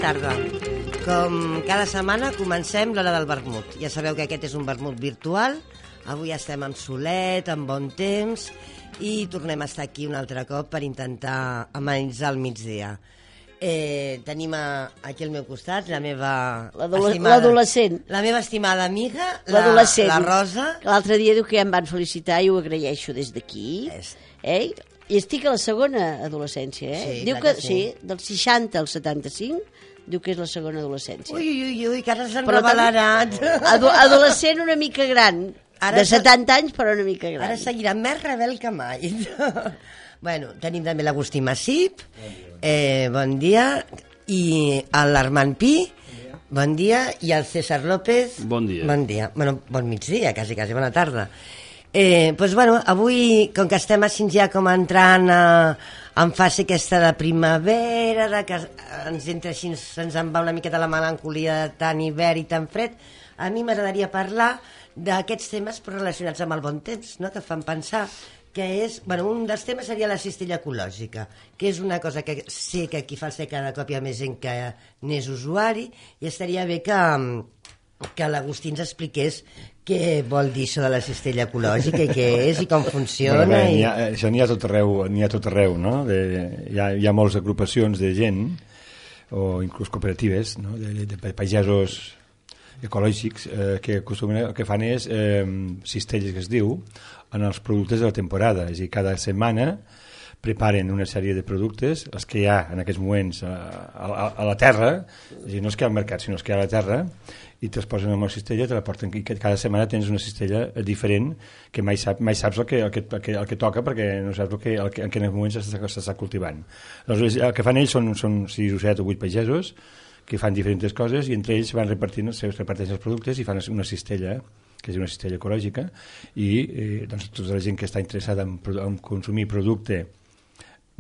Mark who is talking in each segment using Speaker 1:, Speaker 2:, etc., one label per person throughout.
Speaker 1: tarda. Com cada setmana comencem l'hora del vermut. Ja sabeu que aquest és un vermut virtual. Avui estem amb solet, amb bon temps, i tornem a estar aquí un altre cop per intentar amenitzar el migdia. Tenim aquí al meu costat la meva
Speaker 2: l'adolescent.
Speaker 1: La meva estimada amiga,
Speaker 2: l'adolescent.
Speaker 1: La Rosa.
Speaker 2: L'altre dia diu que ja em van felicitar i ho agraeixo des d'aquí. I estic a la segona adolescència,
Speaker 1: Sí,
Speaker 2: diu que sí, dels 60 als 75, diu que és la segona adolescència.
Speaker 1: Ui, que ara s'han revelarat.
Speaker 2: Adolescent una mica gran, de 70 anys però una mica gran.
Speaker 1: Ara seguirà més rebel que mai. Bueno, tenim també l'Agustí Massip, bon dia, i l'Armand Pi, bon dia, i el César López.
Speaker 3: Bon dia.
Speaker 1: Bon dia. Bueno, bon migdia, quasi, bona tarda. Doncs, bueno, avui, com que estem així ja com entrant en fase aquesta de primavera, de que ens entra així, se'ns en va una miqueta la melancolia de tant hivern i tan fred, a mi m'agradaria parlar d'aquests temes relacionats amb el bon temps, no?, que fan pensar que és, bueno, un dels temes seria la cistella ecològica, que és una cosa que sé que aquí fa el ser cada cop hi ha més gent que n'és usuari, i estaria bé que l'Agustí ens expliqués què vol dir això de la cistella ecològica i què és i com funciona.
Speaker 4: Això n'hi ha tot arreu, no? Hi ha moltes agrupacions de gent, o inclús cooperatives, no?, de pagesos ecològics que el que fan és cistelles, que es diu, en els productes de la temporada. És a dir, cada setmana preparen una sèrie de productes, els que hi ha en aquests moments a la terra, és a dir, no els que hi ha al mercat, sinó els que hi ha a la terra, i te'ls posen en una cistella, te la porten, i cada setmana tens una cistella diferent, que mai saps el que toca, perquè no saps en quin moment s'està cultivant. Aleshores, el que fan ells són 6 o 7 o 8 pagesos, que fan diferents coses, i entre ells van reparteixen els productes i fan una cistella, que és una cistella ecològica, i doncs, tota la gent que està interessada en consumir producte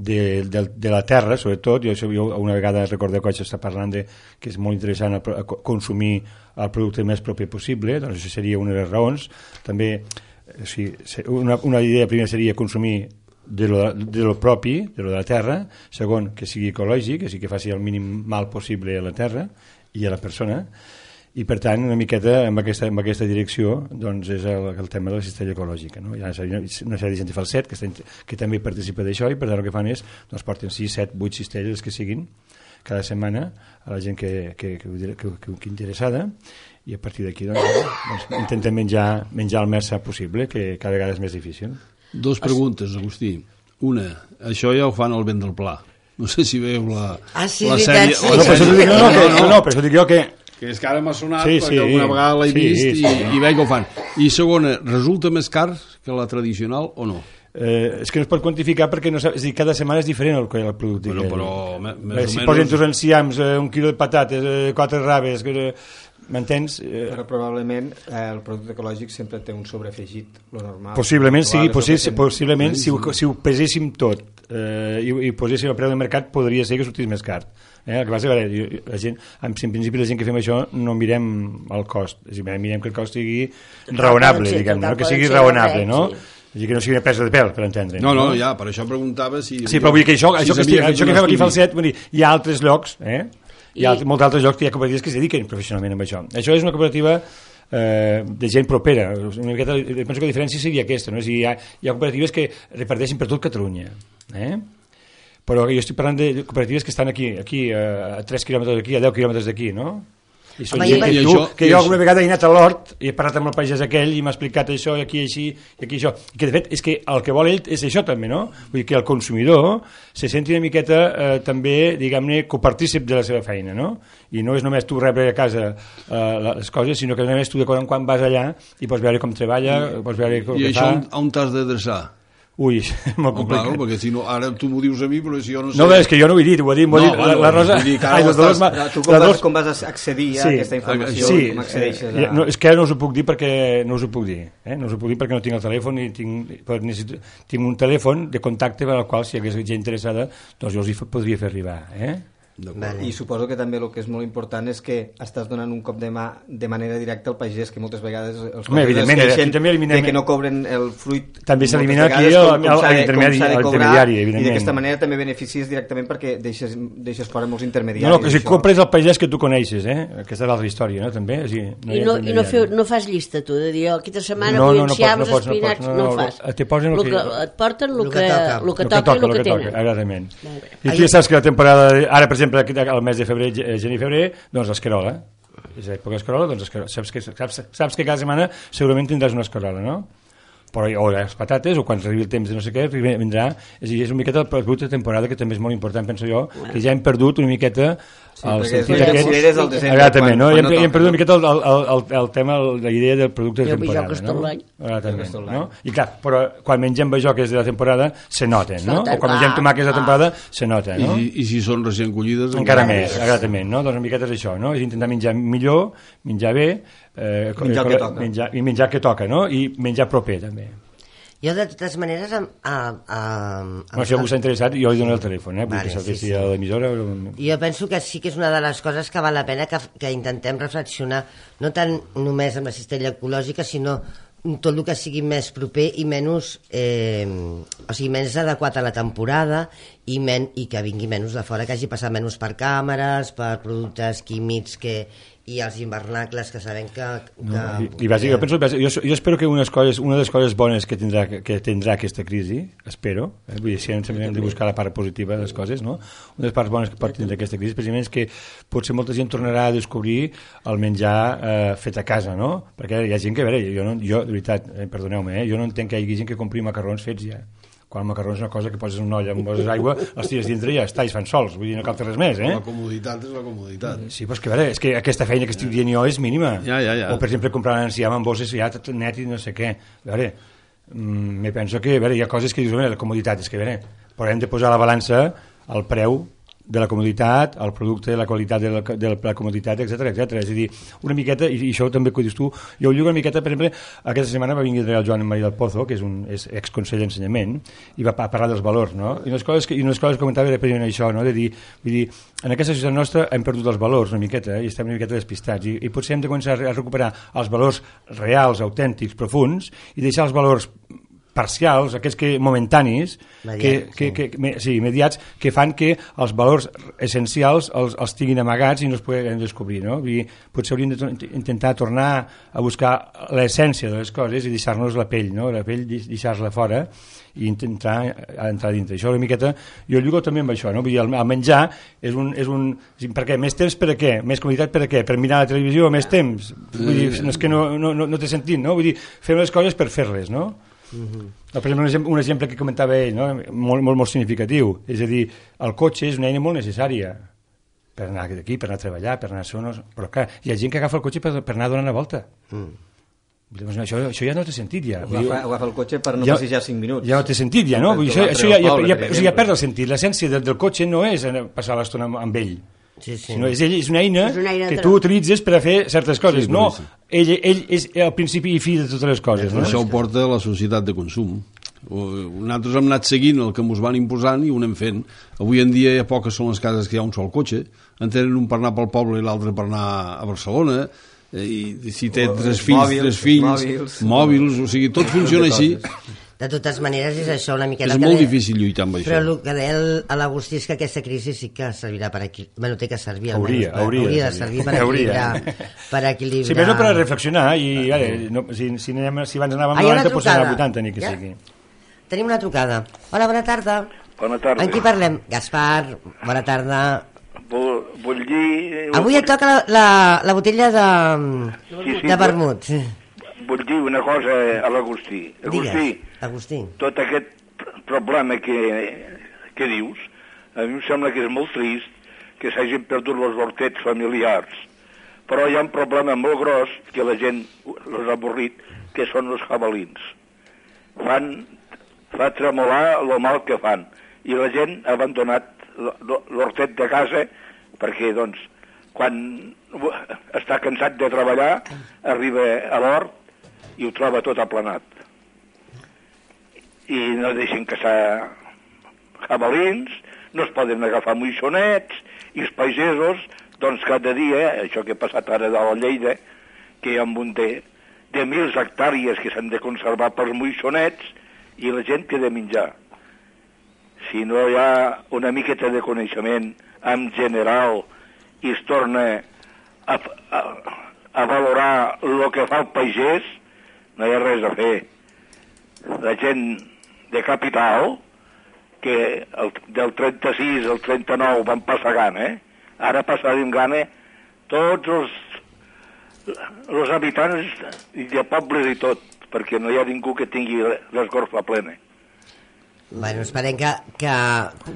Speaker 4: de la terra, sobretot, jo una vegada recordeu que vaig estar parlant que és molt interessant consumir el producte més propi possible, doncs això seria una de les raons. També, una idea primera seria consumir de lo propi, de lo de la terra. Segon, que sigui ecològic, que faci el mínim mal possible a la terra i a la persona. I per tant, una miqueta en aquesta direcció, doncs és el tema de la cistella ecològica, no? Hi ha una sèrie de gent de Falset que també participa d'això, i per tant el que fan és doncs porten 6, 7, 8 cistelles que siguin cada setmana a la gent que interessada, i a partir d'aquí doncs, intentem menjar el més sa possible, que cada vegada és més difícil.
Speaker 3: 2 preguntes, Agustí. Una, això ja ho fan al Vent del Pla. No sé si veu la sèrie...
Speaker 4: No, però això dic jo que
Speaker 3: és que ara m'ha sonat, perquè alguna vegada l'he vist i veig que ho fan. I segona, resulta més car que la tradicional o no?
Speaker 4: És que no es pot quantificar perquè no saps, és dir, cada setmana és diferent el producte.
Speaker 3: Però més o menys...
Speaker 4: Si posen tus enciams, 1 quilo de patates, 4 raves, m'entens?
Speaker 5: Però probablement el producte ecològic sempre té un sobreafegit, lo normal.
Speaker 4: Possiblement si ho peséssim tot i poséssim el preu del mercat, podria ser que sortís més car. El que passa és que en principi la gent que fem això no mirem el cost, és a dir, mirem que el cost sigui raonable, diguem-ne, que sigui raonable, no? És a dir, que no sigui una presa de pèl, per entendre.
Speaker 3: No, ja, per això preguntava si...
Speaker 4: Sí, però vull dir que això que fem aquí a Falset, hi ha altres llocs, hi ha molts altres llocs que hi ha cooperatives que es dediquen professionalment a això. Això és una cooperativa de gent propera. Una miqueta, penso que la diferència seria aquesta, no? És a dir, hi ha cooperatives que reparteixen per tot Catalunya, però jo estic parlant de cooperatives que estan aquí a 3 quilòmetres d'aquí, a 10 quilòmetres d'aquí, no? I són gent que jo alguna vegada he anat a l'hort i he parlat amb el pagès aquell i m'ha explicat això i aquí així i aquí això, i que de fet és que el que vol ell és això també, no? Vull dir que el consumidor se senti una miqueta també, diguem-ne, copartícip de la seva feina, no? I no és només tu rebre a casa les coses, sinó que només tu de quan vas allà i pots veure com treballa, pots veure com
Speaker 3: fa. I això on t'has d'adreçar?
Speaker 4: Ui, molt complicat.
Speaker 3: Claro, perquè si no, ara tu m'ho dius a mi, però si jo no sé...
Speaker 4: No, és que jo no ho he dit, ho ha dit la Rosa...
Speaker 5: Tu com vas accedir a aquesta informació? Com accedeixes a...
Speaker 4: És que ara no us ho puc dir perquè no us ho puc dir. No us ho puc dir perquè no tinc el telèfon i tinc un telèfon de contacte per al qual, si hi hagués gent interessada, doncs jo els hi podria fer arribar.
Speaker 5: I suposo que també el que és molt important és que estàs donant un cop de mà de manera directa al pagès, que moltes vegades els pagesos es queixen de que no cobren el fruit.
Speaker 4: També s'elimina aquí l'intermediari, evidentment.
Speaker 5: I d'aquesta manera també beneficies directament perquè deixes fora molts intermediaris.
Speaker 4: No, que si compres el pagès que tu coneixes, aquesta és l'altra història, no? També.
Speaker 2: I no fas llista, tu, de dir, aquesta setmana vull enciams, espinacs, no ho fas. Et porten el que toca i el que tenen.
Speaker 4: Exactament. I tu ja saps que la temporada, ara per exemple, el mes de febrer, gener i febrer, doncs l'escarola. És l'època d'escarola, doncs saps que cada setmana segurament tindràs una escarola, no? Però, o les patates, o quan arribi el temps de no sé què, vindrà, és una miqueta el producte de temporada, que també és molt important, penso jo, que ja hem perdut una miqueta el sentit aquest. Exactament, no? I hem perdut una miqueta el tema, la idea del producte de temporada. No? I clar, però quan mengem bajoques de la temporada se noten, no? O quan mengem tomàquets de la temporada se noten, no?
Speaker 3: I si són recient collides...
Speaker 4: Encara més, exactament, no? Doncs una miqueta és això, no? És intentar menjar millor, menjar bé, menjar que toca, no? I menjar proper també.
Speaker 1: Jo de totes maneres
Speaker 4: si algú s'ha interessat jo li dono el telèfon, vull que saltessi a l'emissora.
Speaker 1: Jo penso que sí que és una de les coses que val la pena que intentem reflexionar, no tant només amb la cistella ecològica, sinó tot el que sigui més proper i menys o sigui, menys adequat a la temporada i que vingui menys de fora, que hagi passat menys per càmeres, per productes químics i els invernacles que sabem que...
Speaker 4: Jo espero que una de les coses bones que tindrà aquesta crisi, espero, vull dir, si hem de buscar la part positiva de les coses, no? Una de les parts bones que pot tindre aquesta crisi precisament és que potser molta gent tornarà a descobrir el menjar fet a casa, no? Perquè hi ha gent que, a veure, jo de veritat, perdoneu-me, jo no entenc que hi hagi gent que compri macarrons fets ja. Quan el macarró és una cosa que poses una olla, poses aigua, els tires dintre i ja està, i es fan sols, vull dir, no cal fer res més,
Speaker 3: La comoditat és la comoditat.
Speaker 4: Sí, però és que, a veure, és que aquesta feina que estic dient jo és mínima.
Speaker 3: Ja.
Speaker 4: O, per exemple, comprar l'enciam amb bosses ja tot net i no sé què. A veure, me penso que, a veure, hi ha coses que dius, la comoditat, és que, a veure, però hem de posar a la balança el preu de la comoditat, el producte, la qualitat de la comoditat, etc. És a dir, una miqueta, i això també que dius tu, jo ho lligo una miqueta, per exemple, aquesta setmana va venir el Joan Maria del Pozo, que és exconsell d'ensenyament, i va parlar dels valors, no? I unes coses que comentava era precisament això, no? De dir, vull dir, en aquesta societat nostra hem perdut els valors una miqueta, i estem una miqueta despistats, i potser hem de començar a recuperar els valors reals, autèntics, profuns, i deixar els valors parcials, aquests momentanis, immediats, que fan que els valors essencials els tinguin amagats i no es poden descobrir, no? Potser hauríem d'intentar tornar a buscar l'essència de les coses i deixar-nos la pell, no? La pell deixar-la fora i intentar entrar dintre. Això una miqueta, jo lligo també amb això, no? Vull dir, el menjar és un... Per què? Més temps per a què? Més comoditat per a què? Per mirar la televisió més temps? Vull dir, és que no té sentit, no? Vull dir, fem les coses per fer-les, no? Per exemple, un exemple que comentava ell, no? molt significatiu, és a dir, el cotxe és una eina molt necessària per anar d'aquí, per anar a treballar, per anar a zones, però clar, hi ha gent que agafa el cotxe per anar donant la volta. Això ja no té sentit ja.
Speaker 5: Agafa el cotxe per no passejar 5 minuts.
Speaker 4: Ja no té sentit ja, no? Això ja perd el sentit. L'essència del cotxe no és passar l'estona amb ell, sinó és una eina que tu utilitzes per a fer certes coses. No, ell és el principi i fi de totes les coses.
Speaker 3: Això ho porta a la societat de consum. Nosaltres hem anat seguint el que ens van imposant i ho anem fent. Avui en dia a poques són les cases que hi ha un sol cotxe, en tenen un per anar pel poble i l'altre per anar a Barcelona, i si té tres fills, mòbils, o sigui, tot funciona així.
Speaker 1: De totes maneres és això una miqueta...
Speaker 3: És molt difícil lluitar amb això.
Speaker 1: Però el que deia l'Agustí és que aquesta crisi sí que servirà per equilibrar... Bueno, té que servir almenys.
Speaker 4: Hauria
Speaker 1: de servir per equilibrar...
Speaker 4: Sí, però no per a reflexionar, i si abans anàvem a 90, potser anar a 80, ni que sigui.
Speaker 1: Tenim una trucada. Hola, bona tarda.
Speaker 6: Bona tarda.
Speaker 1: En qui parlem? Gaspar, bona tarda.
Speaker 6: Vull dir...
Speaker 1: Avui et toca la botella de vermut.
Speaker 6: Vull dir una cosa a l'Agustí.
Speaker 1: Agustí,
Speaker 6: tot aquest problema que dius, a mi em sembla que és molt trist que s'hagin perdut els hortets familiars, però hi ha un problema molt gros que la gent els ha avorrit, que són els jabalins. Fa tremolar el mal que fan, i la gent ha abandonat l'hortet de casa perquè, doncs, quan està cansat de treballar, arriba a l'hort i ho troba tot aplanat. I no deixen caçar jabalins, no es poden agafar moixonets, I els pagesos, doncs cada dia, això que ha passat ara de la Lleida, que hi ha un munt de 1.000 hectàrees que s'han de conservar pels moixonets i la gent que ha de menjar. Si no hi ha una miqueta de coneixement en general i es torna a valorar el que fa el pagès, no hi ha res a fer. La gent de capital, que del 36 al 39 van passar gana, ara passarem gana tots els habitants de pobles i tot, perquè no hi ha ningú que tingui l'esgorfa plena.
Speaker 1: Bueno, esperem que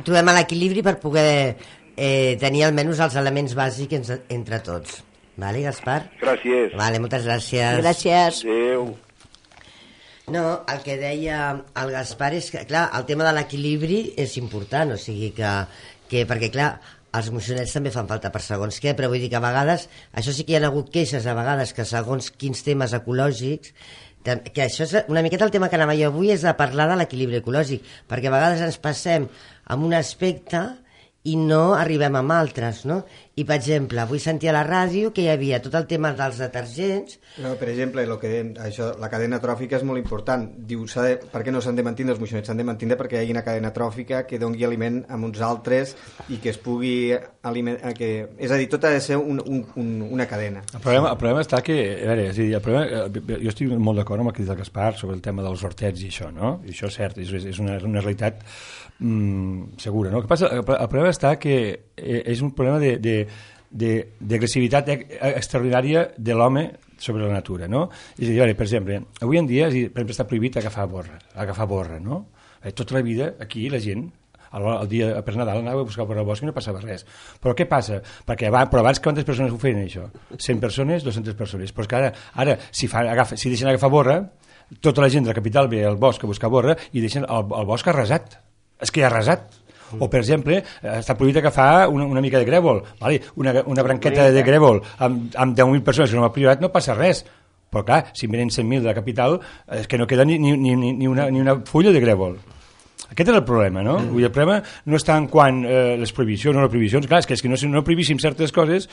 Speaker 1: trobem l'equilibri per poder tenir almenys els elements bàsics entre tots. Vale, Gaspar?
Speaker 6: Gràcies.
Speaker 1: Vale, moltes gràcies.
Speaker 2: Gràcies.
Speaker 6: Adéu.
Speaker 1: No, el que deia el Gaspar és que, clar, el tema de l'equilibri és important, o sigui que perquè, clar, els moixonets també fan falta per segons què, però vull dir que a vegades, això sí que hi ha hagut queixes a vegades que segons quins temes ecològics, que això és una miqueta el tema que anava jo avui, és de parlar de l'equilibri ecològic, perquè a vegades ens passem amb un aspecte i no arribem amb altres, no? I, per exemple, avui sentia a la ràdio que hi havia tot el tema dels detergents.
Speaker 5: No, per exemple, la cadena tròfica és molt important. Diu, per què no s'han de mantenir els moixonets? S'han de mantenir perquè hi hagi una cadena tròfica que doni aliment a uns altres i que es pugui alimentar... És a dir, tot ha de ser una cadena.
Speaker 4: El problema està que... A veure, és a dir, jo estic molt d'acord amb el que diu el Gaspar sobre el tema dels hortets i això, no? I això és cert, és una realitat segura, no? El que passa, el problema està que és un problema d'agressivitat extraordinària de l'home sobre la natura, no? És a dir, per exemple, avui en dia està prohibit agafar borra, no? Tota la vida aquí la gent el dia per Nadal anava a buscar per al bosc i no passava res. Però què passa? Però abans quantes persones ho feien això? 100 persones, 200 persones. Però és que ara si deixen agafar borra, tota la gent de la capital ve al bosc a buscar borra i deixen el bosc arrasat. És que ja ha arrasat. O, per exemple, està prohibit agafar una mica de grèvol, vale? Una branqueta de grèvol amb 10.000 persones que no m'ha privat, no passa res. Però clar, si venen 100.000 de la capital, és que no queda ni una fulla de grèvol. Aquest és el problema, no? El problema no està en quant les prohibicions o no prohibicions, clar, és que no prohibíssim certes coses,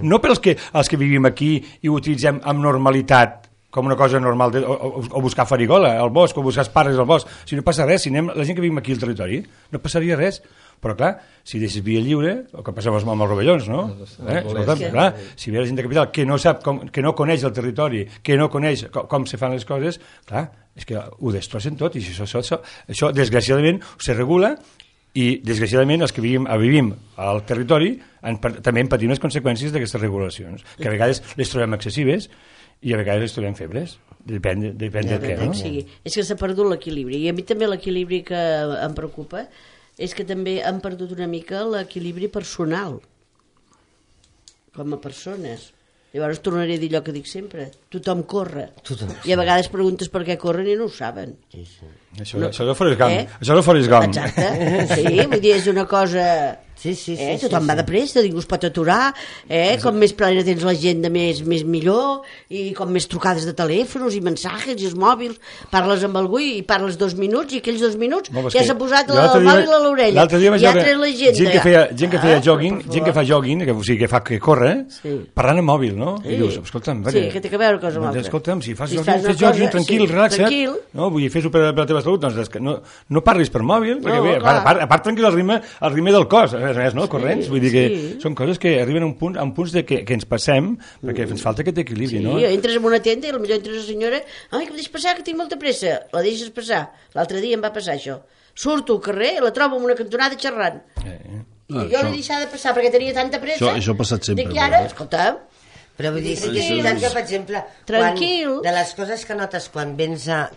Speaker 4: no pels que vivim aquí i ho utilitzem amb normalitat, com una cosa normal, o buscar farigola al bosc, o buscar esparres al bosc. Si no passa res, si anem la gent que vivim aquí al territori, no passaria res. Però clar, si deixes via lliure, el que passa amb els rovellons, no? Clar, si ve la gent de capital que no sap, que no coneix el territori, que no coneix com se fan les coses, clar, és que ho destrossen tot, i això desgraciadament se regula, i desgraciadament els que vivim al territori també en patim les conseqüències d'aquestes regulacions, que a vegades les trobem excessives i a vegades les trobem febles, depèn del què, no?
Speaker 2: És que s'ha perdut l'equilibri, i a mi també l'equilibri que em preocupa és que també han perdut una mica l'equilibri personal com a persones. Llavors tornaré a dir allò que dic sempre, tothom corre, i a vegades preguntes per què corren i no ho saben.
Speaker 4: Això de Forrest Gump.
Speaker 2: Exacte, sí, vull dir, és una cosa... Tothom va de pressa, ningú es pot aturar, com més plena tens l'agenda més millor, i com més trucades de telèfons i mensajes i els mòbils, parles amb algú i parles 2 minuts i aquells 2 minuts ja s'ha posat el mòbil a l'orella i ja tret l'agenda.
Speaker 4: Gent que feia jogging, gent que fa jogging, o sigui, que corre, parlant amb mòbil, no? I dius, escolta'm,
Speaker 2: que té que veure cosa amb altra.
Speaker 4: Escolta'm, si fas jogging, tranquil, relaxa't, no? Vull dir, fes-ho per la teva salut, doncs no parlis per mòbil, perquè a part tranquil el ritme del cos, res, no? Corrents, vull dir que són coses que arriben a punts de que ens passem perquè ens falta aquest equilibri, no?
Speaker 2: Sí, entres en una tenda i potser entres la senyora, ai, que em deixes passar, que tinc molta pressa, la deixes passar. L'altre dia em va passar això. Surto al carrer, la trobo en una cantonada xerrant. I jo l'he deixat de passar perquè tenia tanta pressa.
Speaker 3: Això ha passat sempre.
Speaker 2: Dic, ara, escolta'm,
Speaker 1: però vull dir, sí que és veritat que, per exemple, de les coses que notes quan vens a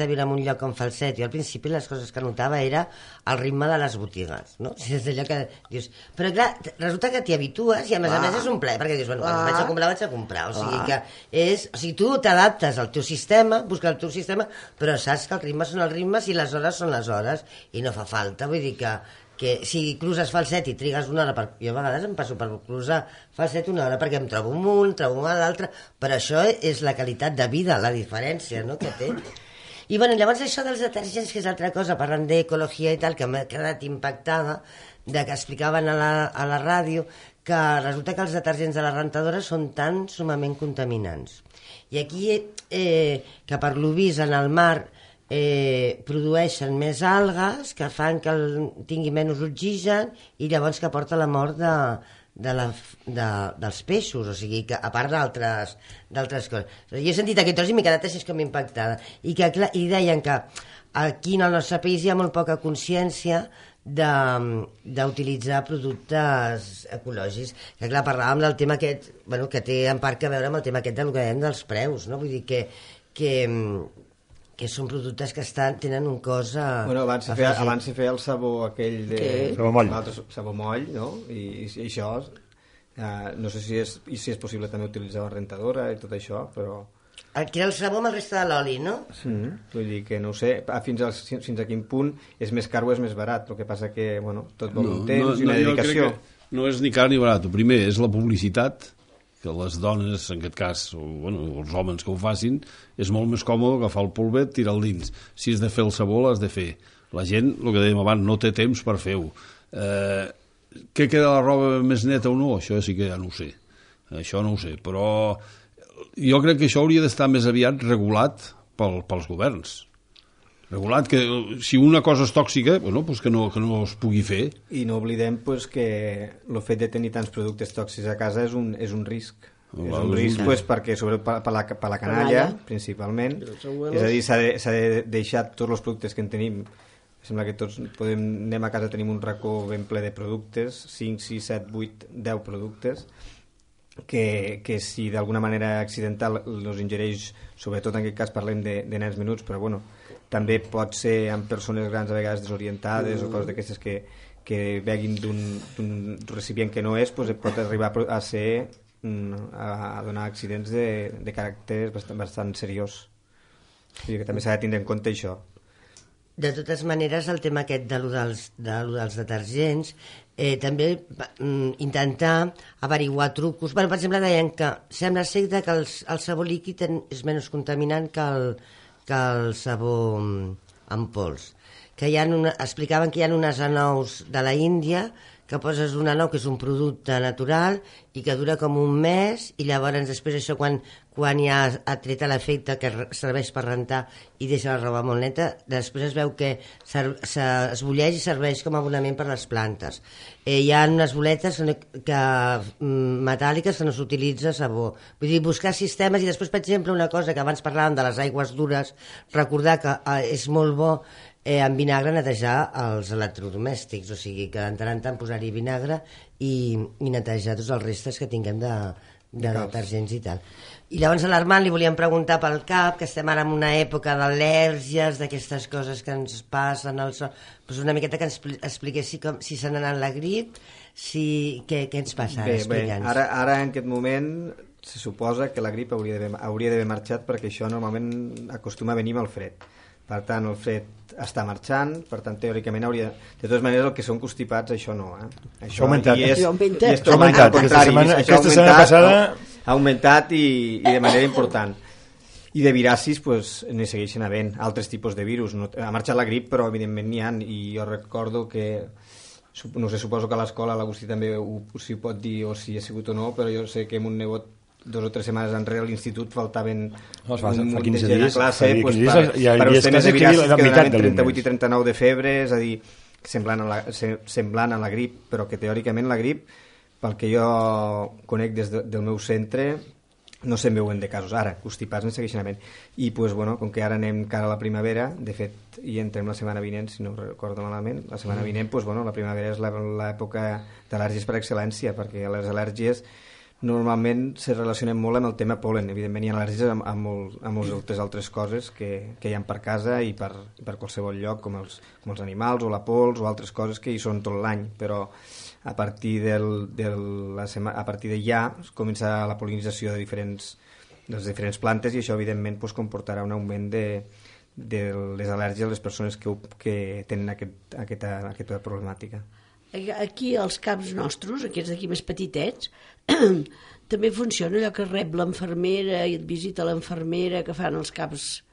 Speaker 1: viure en un lloc com Falset, jo al principi les coses que notava era el ritme de les botigues, no? És allò que dius... Però clar, resulta que t'hi habitues i a més és un plaer, perquè dius, bueno, quan vaig a comprar, o sigui que és... O sigui, tu t'adaptes al teu sistema, busques el teu sistema, però saps que els ritmes són els ritmes i les hores són les hores, i no fa falta, vull dir que si cruces Falset i trigues una hora, jo a vegades em passo per cruzar Falset una hora perquè em trobo un, trobo l'altre, però això és la qualitat de vida, la diferència, no?, que té. I bueno, llavors això dels detergents, que és altra cosa, parlant d'ecologia i tal, que m'ha quedat impactada, de que explicaven a la ràdio que resulta que els detergents de la rentadora són tan sumament contaminants. I aquí, que per lo vist en el mar produeixen més algues que fan que tingui menys oxigen i llavors que porta la mort dels peixos, o sigui, que a part d'altres coses. Jo he sentit aquest tros i m'he quedat així com impactada. I deien que aquí en el nostre país hi ha molt poca consciència d'utilitzar productes ecològics, que clar, parlàvem del tema aquest, bueno, que té en part a veure amb el tema aquest del que dèiem dels preus, no? Vull dir que són productes que tenen un cost
Speaker 5: bueno, abans se feia el sabó aquell de sabó moll, no? I això no sé si és possible també utilitzar la rentadora i tot això, però
Speaker 1: aquí el sabó amb el resta de l'oli, no?
Speaker 5: Vull dir que no ho sé, fins a quin punt és més car o és més barat. El que passa que, bueno, tot vol un temps i una dedicació.
Speaker 3: No és ni car ni barat. El primer és la publicitat, que les dones, en aquest cas, o bueno, els homes que ho facin, és molt més còmode agafar el polvet, tirar-lo dins. Si has de fer el sabó, l'has de fer. La gent, el que dèiem abans, no té temps per fer-ho. Què queda la roba més neta o no? Això sí que ja no ho sé. Això no ho sé, però jo crec que això hauria d'estar més aviat regulat pels governs. Regulat que si una cosa és tòxica, bueno, pues que no es pugui fer.
Speaker 5: I no oblidem pues, que el fet de tenir tants productes tòxics a casa és un risc. És un risc pues, perquè sobretot per la canalla, principalment. És a dir, s'ha de deixar tots els productes que en tenim. Sembla que tots anem a casa, tenim un racó ben ple de productes, 5, 6, 7, 8, 10 productes, que si d'alguna manera accidental els ingereix, sobretot en aquest cas parlem de nens menuts, però bueno, també pot ser amb persones grans a vegades desorientades o coses d'aquestes que beguin d'un recipient que no és, doncs pot arribar a ser a donar accidents de caràcter bastant seriós. O sigui que també s'ha de tindre en compte això.
Speaker 1: De totes maneres, el tema aquest de lo dels detergents, també intentar averiguar trucos. Bueno, per exemple, deien que sembla ser que el sabó líquid és menys contaminant que el sabó en pols. Que explicaven que hi ha unes anous de la Índia que poses una anou que és un producte natural i que dura com un mes i llavors després això quan ja ha tret l'efecte que serveix per rentar i deixa la roba molt neta, després es veu que es bulleix i serveix com a abonament per les plantes. Hi ha unes boletes metàl·liques que no s'utilitza sabó. Vull dir, buscar sistemes i després, per exemple, una cosa que abans parlàvem de les aigües dures, recordar que és molt bo amb vinagre netejar els electrodomèstics, o sigui que de tant en tant posar-hi vinagre i netejar tots els restes que tinguem de detergents i tal. I llavors a l'Armand li volíem preguntar pel cap, que estem ara en una època d'al·lèrgies, d'aquestes coses que ens passen al sol, doncs una miqueta que ens expliqués si se n'ha anat la grip, què ens passa ara, explica'ns.
Speaker 5: Ara en aquest moment se suposa que la grip hauria d'haver marxat perquè això normalment acostuma a venir amb el fred. Per tant, el fred està marxant, per tant, teòricament hauria... De totes maneres, el que són constipats, això no,
Speaker 4: Això ha augmentat.
Speaker 5: Això ha augmentat.
Speaker 4: Aquesta setmana passada
Speaker 5: ha augmentat i de manera important. I de viracis, doncs, n'hi segueixen havent altres tipus de virus. Ha marxat la grip, però evidentment n'hi ha, i jo recordo que... No sé, suposo que a l'escola l'Agustí també si ho pot dir o si ha sigut o no, però jo sé que amb un nebot 2 o 3 setmanes enrere a l'institut faltaven un munt de gent a classe per els temes de viracis que donaven 38 i 39 de febre, és a dir, semblant a la grip, però que teòricament la grip, pel que jo conec des del meu centre, no se'n veuen de casos. Ara, constipats en segueixen havent. I, doncs, bueno, com que ara anem cara a la primavera, de fet, i entrem la setmana vinent, si no recordo malament, la setmana vinent, doncs, bueno, la primavera és l'època d'al·lèrgies per excel·lència, perquè les al·lèrgies normalment se relacionen molt amb el tema pol·len. Evidentment hi ha al·lèrgies amb moltes altres coses que hi ha per casa i per qualsevol lloc, com els animals o la pols o altres coses que hi són tot l'any, però a partir de ja comença la pol·linització de les diferents plantes i això evidentment comportarà un augment de les al·lèrgies a les persones que tenen aquesta problemàtica.
Speaker 2: Aquí als caps nostres, aquests d'aquí més petitets, també funciona allò que rep l'enfermera i et visita l'enfermera que fan els caps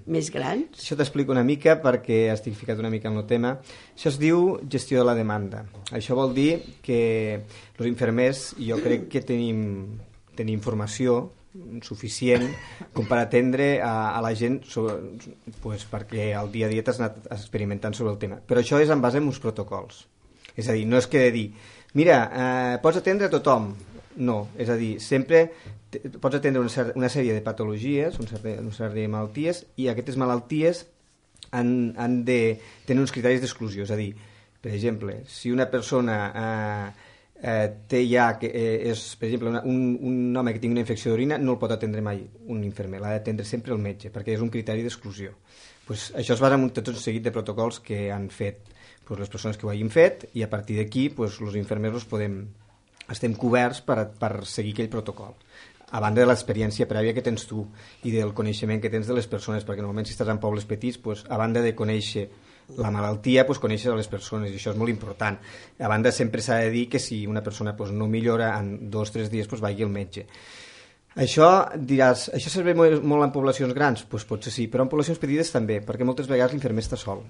Speaker 2: més grans.
Speaker 5: Això t'explico una mica perquè estic ficat una mica en el tema. Això es diu gestió de la demanda. Això vol dir que els infermers, jo crec que tenim formació suficient com per atendre a la gent pues, perquè al dia a dia t'has anat experimentant sobre el tema. Però això és en base a uns protocols. És a dir, no és que de dir mira, pots atendre a tothom. No, és a dir, sempre pots atendre una sèrie de patologies, una sèrie de malalties, i aquestes malalties han de tenir uns criteris d'exclusió. És a dir, per exemple, si una persona té ja, per exemple, un home que tingui una infecció d'orina, no el pot atendre mai un infermer, l'ha d'atendre sempre el metge, perquè és un criteri d'exclusió. Pues això es basa en tot un seguit de protocols que han fet les persones que ho hagin fet, i a partir d'aquí els infermers estem coberts per seguir aquell protocol, a banda de l'experiència prèvia que tens tu i del coneixement que tens de les persones, perquè normalment si estàs en pobles petits, a banda de conèixer la malaltia, coneixes a les persones, i això és molt important. A banda sempre s'ha de dir que si una persona no millora en 2 o 3 dies, vagi al metge. Això diràs, això serveix molt en poblacions grans? Potser sí, però en poblacions petites també, perquè moltes vegades l'infermer està sol.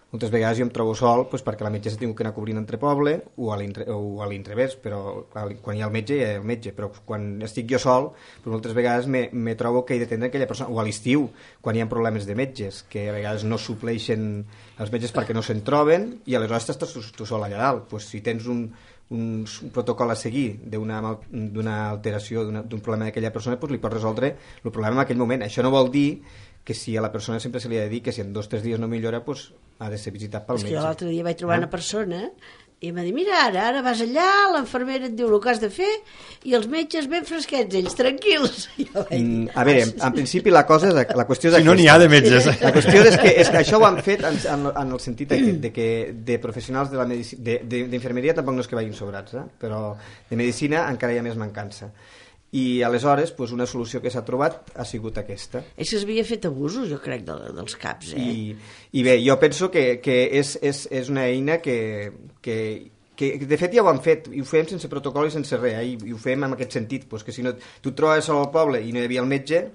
Speaker 5: Moltes vegades jo em trobo sol perquè la metgessa ha tingut que anar cobrint entre poble o a l'inrevés, però quan hi ha el metge hi ha el metge, però quan estic jo sol moltes vegades me trobo que he d'atendre aquella persona, o a l'estiu quan hi ha problemes de metges, que a vegades no supleixen els metges perquè no se'n troben, i aleshores estàs tu sol allà dalt. Si tens un protocol a seguir d'una alteració, d'un problema d'aquella persona, li pots resoldre el problema en aquell moment. Això no vol dir que si a la persona sempre se li ha de dir que si en 2 o 3 dies no millora, ha de ser visitat pel metge.
Speaker 2: Jo l'altre dia vaig trobar una persona i m'ha dit, mira, ara vas allà, l'infermera et diu el que has de fer i els metges ben fresquets, ells tranquils.
Speaker 5: A veure, en principi la qüestió és aquesta.
Speaker 4: Si no n'hi ha de metges.
Speaker 5: La qüestió és que això ho han fet en el sentit de que de professionals de la medicina, d'infermeria tampoc no és que vagin sobrats, però de medicina encara hi ha més mancança. I aleshores una solució que s'ha trobat ha sigut aquesta.
Speaker 2: És que s'havia fet abusos, jo crec, dels CAPs.
Speaker 5: I bé, jo penso que és una eina que de fet ja ho han fet, i ho fem sense protocol i sense res, i ho fem en aquest sentit, que si no, tu et trobes sol al poble i no hi havia el metge,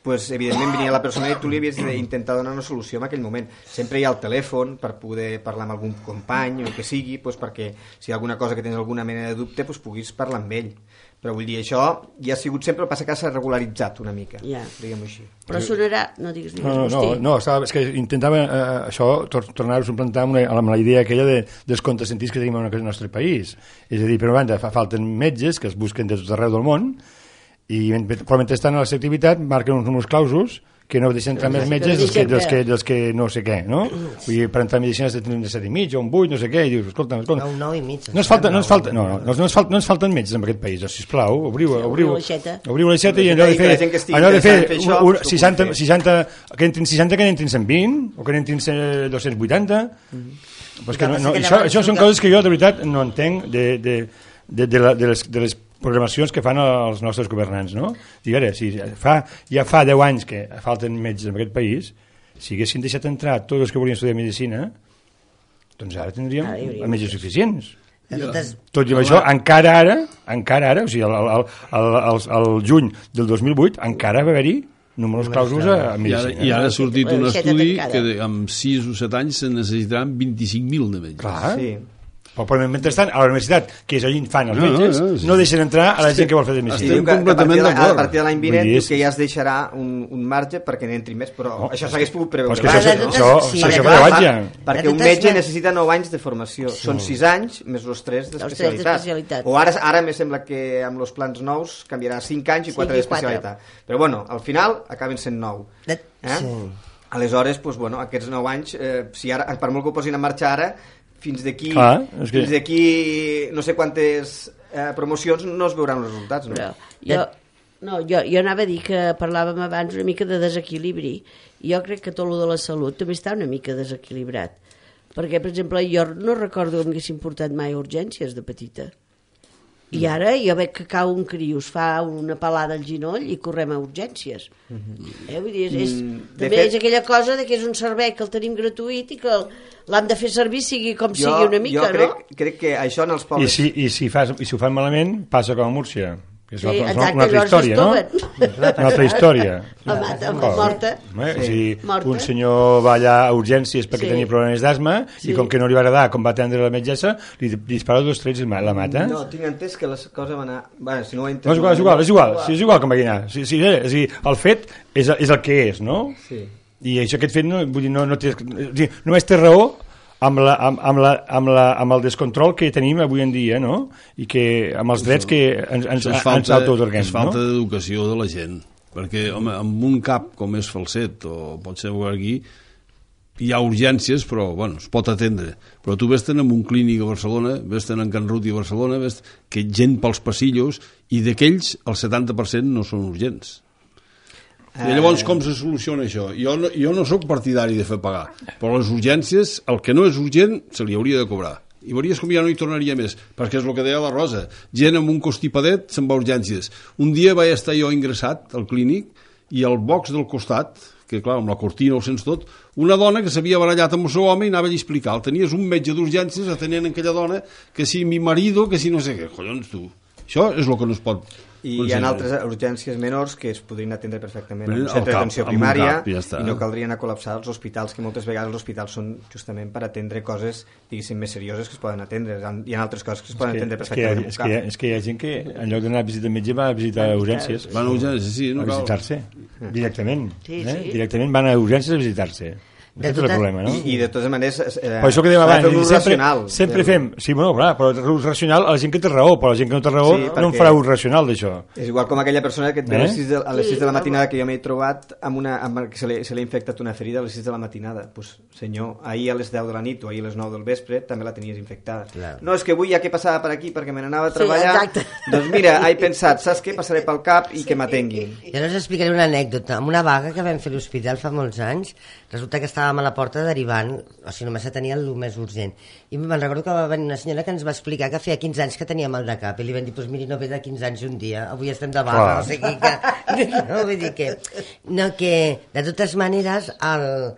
Speaker 5: evidentment venia la persona i tu li havies d'intentar donar una solució en aquell moment. Sempre hi ha el telèfon per poder parlar amb algun company o el que sigui, perquè si hi ha alguna cosa que tens alguna mena de dubte puguis parlar amb ell. Però vull dir, això ja ha sigut sempre, el passa que s'ha regularitzat una mica, diguem-ho així.
Speaker 2: Però sonarà... No, digues,
Speaker 4: no, és que intentava això, tornar-ho a implantar amb la idea aquella dels contrasentits que tenim en el nostre país. És a dir, per una banda, falten metges que es busquen de tot arreu del món, però mentre estan a la seva activitat marquen uns clausos que no deixen entrar més metges dels que no sé què, no? Vull dir, per entrar a medicina has de tenir un 7,5 o un 8, no sé què, i dius, escolta...
Speaker 1: Un 9,5.
Speaker 4: No ens falten metges en aquest país, sisplau, obriu l'aixeta i allò de fer 60, que entrin 60 que n'entrin 120, o que n'entrin 280... Això són coses que jo, de veritat, no entenc de les programacions que fan els nostres governants, no? Digui, si ja fa 10 anys que falten metges en aquest país, si haguessin deixat entrar tots els que volien estudiar medicina, doncs ara tindríem metges suficients. Tot i això, encara ara, o sigui, al juny del 2008, encara va haver-hi números clausos a medicina.
Speaker 3: I ara ha sortit un estudi que amb 6 o 7 anys se necessitaran 25.000 de metges.
Speaker 4: Clar. Sí. Però mentrestant, a la universitat, que és allà fan els metges, no deixen entrar a la gent que vol fer de medicina.
Speaker 5: Estem completament d'acord. A partir de l'any vinent que ja es deixarà un marge perquè n'entri més, però això s'hagués pogut preveure. Perquè un metge necessita 9 anys de formació. Són 6 anys més els 3 d'especialitat. O ara me sembla que amb els plans nous canviarà 5 anys i 4 d'especialitat. Però bueno, al final acaben sent 9. Aleshores, aquests 9 anys, per molt que ho posin en marxa ara, fins d'aquí no sé quantes promocions no es veuran els resultats, no?
Speaker 2: Jo anava a dir que parlàvem abans una mica de desequilibri, i jo crec que tot el de la salut també està una mica desequilibrat, perquè per exemple jo no recordo que m'haguessin portat mai a urgències de petita, i ara jo veig que cau un criu, es fa una pelada al ginoll i correm a urgències. Vull dir, també és aquella cosa de que és un servei que el tenim gratuït i que l'hem de fer servir sigui com sigui una mica, no?
Speaker 5: Jo crec que això en els pobles...
Speaker 4: I si ho fan malament, passa com a Múrcia. És una altra història, no? Una altra història.
Speaker 2: Morta.
Speaker 4: Un senyor va allà a urgències perquè tenia problemes d'asma i com que no li va agradar com va atendre la metgessa, li dispara 2 trets i la mata.
Speaker 5: No, tinc entès que les coses van anar... Bueno, si no ho
Speaker 4: entès... No, és igual com va anar. El fet és el que és, no? Sí. I això, aquest fet només té raó amb el descontrol que tenim avui en dia, no? I que amb els drets que ens autoatorguem.
Speaker 3: És falta d'educació de la gent, perquè home, amb un cap com és Falset o pot ser aquí hi ha urgències, però bueno, es pot atendre, però tu ves-te'n en un clínic a Barcelona, ves-te'n en Can Ruti a Barcelona, ves que gent pels passillos i d'aquells el 70% no són urgents. I llavors com se soluciona això? Jo no sóc partidari de fer pagar, però les urgències, el que no és urgent se li hauria de cobrar, i veuries com ja no hi tornaria més, perquè és el que deia la Rosa, gent amb un constipadet se'n va a urgències. Un dia vaig estar jo ingressat al clínic i al box del costat, que clar, amb la cortina ho sents tot, una dona que s'havia barallat amb el seu home i anava a explicar, tenies un metge d'urgències atenent aquella dona, que si mi marido, que si no sé què, collons tu, això és el que no es pot.
Speaker 5: I hi ha altres urgències menors que es podrien atendre perfectament en un centre d'atenció primària i no caldrien a col·lapsar els hospitals, que moltes vegades els hospitals són justament per atendre coses, diguéssim, més serioses que es poden atendre. Hi ha altres coses que es poden atendre perfectament.
Speaker 4: És que hi ha gent que en lloc d'anar a visitar metge va a visitar urgències.
Speaker 3: Van a urgències, sí.
Speaker 4: A visitar-se, directament. Directament van a urgències a visitar-se. Aquest és el problema, no?
Speaker 5: I de totes maneres
Speaker 4: per això que dèiem abans, sempre fem, sí, bueno, clar, però l'ús racional a la gent que té raó, però la gent que no té raó no en farà ús racional d'això. És
Speaker 5: igual com aquella persona que a les 6 de la matinada que jo m'he trobat que se li ha infectat una ferida a les 6 de la matinada. Pues, senyor, ahir a les 10 de la nit o ahir a les 9 del vespre també la tenies infectada. No, és que avui ja que passava per aquí perquè me n'anava a treballar, doncs mira, he pensat, saps què? Passaré pel cap i que m'atenguin.
Speaker 1: Jo us explicaré una anècdota. Amb una vaga que vam fer a l'hospital fa molts anys, resulta que estàvem a la porta derivant, o sigui, només tenia el més urgent. I me'n recordo que va venir una senyora que ens va explicar que feia 15 anys que tenia mal de cap, i li vam dir, doncs miri, no ve de 15 anys un dia, avui estem de vaga, o sigui que... No, vull dir que... No, que, de totes maneres, amb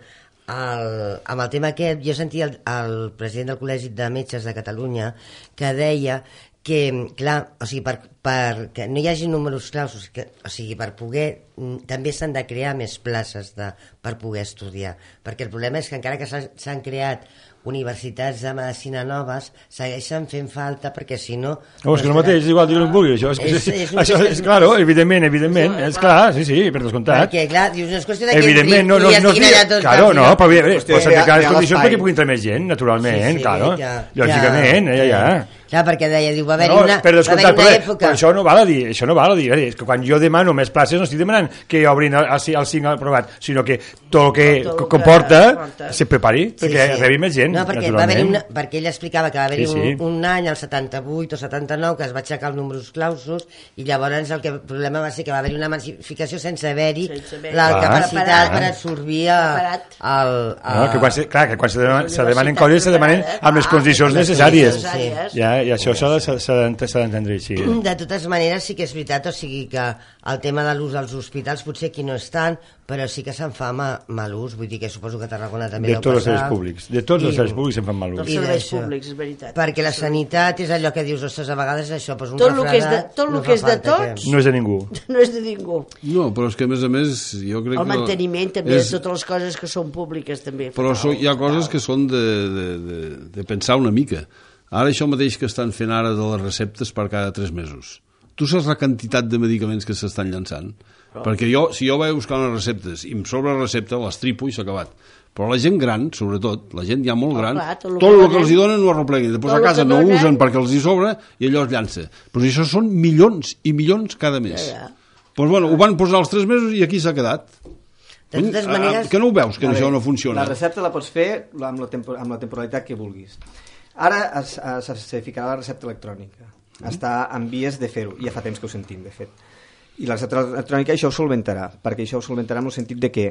Speaker 1: el tema aquest, jo sentia el president del Col·legi de Metges de Catalunya que deia que, clar, o sigui, perquè no hi hagi números clausos, o sigui, per poder, també s'han de crear més places per poder estudiar, perquè el problema és que encara que s'han creat universitats de medicina noves, segueixen fent falta, perquè si no...
Speaker 4: No, és que el mateix, és igual, jo no em vulgui, això és clar, evidentment, és clar, sí, per descomptat.
Speaker 1: Perquè, clar, dius, no és qüestió de que
Speaker 4: evidentment, no, claro, no, però s'han de crear les condicions perquè pugui entrar més gent, naturalment, claro, lògicament, ja.
Speaker 1: Clar, perquè deia, diu, va haver-hi una època...
Speaker 4: Però això no val a dir, és que quan jo demano més places no estic demanant que obrin el 5 aprovat, sinó que tot el que comporta se prepari perquè rebi més gent, naturalment.
Speaker 1: No, perquè ell explicava que va haver-hi un any, el 78 o 79, que es va aixecar els números clausos, i llavors el problema va ser que va haver-hi una massificació sense haver-hi la capacitat per absorbir el...
Speaker 4: Clar, que quan se demanen coses se demanen amb les condicions necessàries. I això s'ha d'entendre així.
Speaker 1: De totes maneres sí que és veritat, o sigui que el tema de l'ús als hospitals potser aquí no és tant, però sí que se'n fa mal ús, vull dir que suposo que a Tarragona també
Speaker 4: deu passar. De tots els serveis públics, se'n fan mal ús.
Speaker 2: Dels serveis públics, és veritat.
Speaker 1: Perquè la sanitat és allò que dius, ostres, a vegades això, doncs un refredat...
Speaker 2: Tot el que és de tots...
Speaker 4: No és de ningú.
Speaker 2: No és de ningú.
Speaker 3: No, però és que a més, jo crec que...
Speaker 2: El manteniment també, totes les coses que són públiques també.
Speaker 3: Però hi ha coses que són de pensar una mica. Ara això mateix que estan fent ara de les receptes per cada 3 mesos. Tu saps la quantitat de medicaments que s'estan llançant? Perquè si jo vaig buscar unes receptes i em sobra la recepta, les tripo i s'ha acabat. Però la gent gran, sobretot, la gent ja molt gran, tot el que els hi donen ho arropleguen. Després a casa no usen perquè els hi sobra i allò es llança. Però això són milions i milions cada mes. Doncs bueno, ho van posar els 3 mesos i aquí s'ha quedat.
Speaker 1: De totes maneres...
Speaker 3: Que no ho veus, que això no funciona?
Speaker 5: La recepta la pots fer amb la temporalitat que vulguis. Ara se ficarà la recepta electrònica. Està en vies de fer-ho. Ja fa temps que ho sentim, de fet. I la recepta electrònica això ho solventarà, perquè això ho solventarà en el sentit de que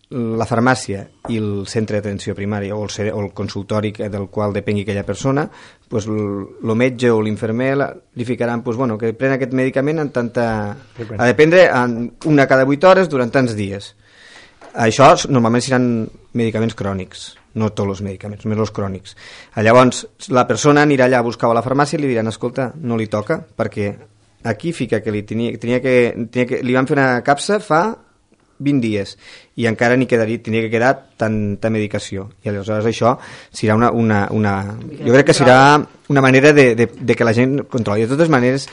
Speaker 5: la farmàcia i el centre d'atenció primària o el consultori del qual depengui aquella persona, pues, el metge o l'infermer li ficaran que pren aquest medicament en tanta... Ha de prendre una cada 8 hores durant tants dies. Això normalment seran medicaments crònics, no tots els medicaments, només els crònics. Llavors, la persona anirà allà a buscar a la farmàcia i li diran, escolta, no li toca, perquè aquí fica que li van fer una capsa fa 20 dies i encara tindria que quedar tanta medicació, i aleshores això serà jo crec que serà una manera de que la gent controli. De totes maneres,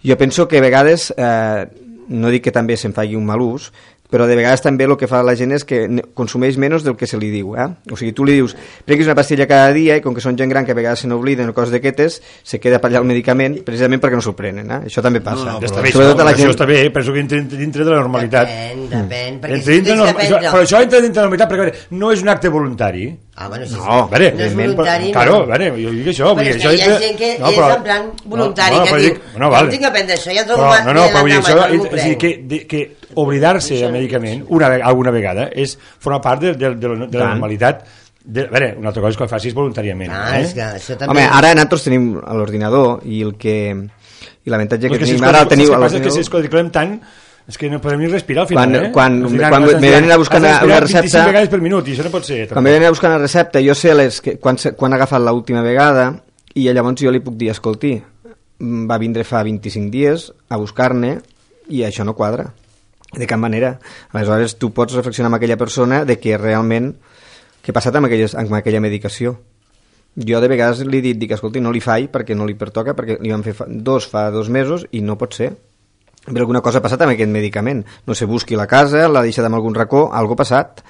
Speaker 5: jo penso que a vegades no dic que també se'n faci un mal ús, però de vegades també el que fa la gent és que consumeix menys del que se li diu. O sigui, tu li dius, prenguis una pastilla cada dia, i com que són gent gran que a vegades se n'obliden o coses d'aquestes, se queda per allà el medicament precisament perquè no s'ho prenen. Això també passa.
Speaker 4: Això està bé, penso que entra dintre de la normalitat.
Speaker 1: Depèn.
Speaker 4: Però això entra dintre de la normalitat perquè no és un acte voluntari.
Speaker 1: Bueno, sí,
Speaker 4: no,
Speaker 1: no és voluntari.
Speaker 4: Claro, jo dic això.
Speaker 1: Però és que hi ha gent que és en plan voluntari, que diu, no tinc que prendre això, ja trobo
Speaker 4: que oblidar-se del medicament alguna vegada és formar part de la normalitat. A veure, una altra cosa és que ho facis voluntàriament.
Speaker 1: És que això també...
Speaker 5: Home, ara nosaltres tenim l'ordinador i l'avantatge que tenim ara el teniu a l'ordinador.
Speaker 4: És que si es codifiquem tant és que no podem ni respirar al final.
Speaker 5: Quan me venen a buscar una recepta...
Speaker 4: 25 vegades per minut, i això no pot ser.
Speaker 5: Quan me venen a buscar una recepta, jo sé quan ha agafat l'última vegada, i llavors jo li puc dir, escolti, va vindre fa 25 dies a buscar-ne, i això no quadra, de cap manera. Aleshores, tu pots reflexionar amb aquella persona de que realment què ha passat amb aquella medicació. Jo de vegades li dic, escolti, no li faig perquè no li pertoca, perquè li van fer fa 2 mesos i no pot ser. Però alguna cosa ha passat amb aquest medicament. No se busqui la casa, l'ha deixat en algun racó, alguna cosa ha passat.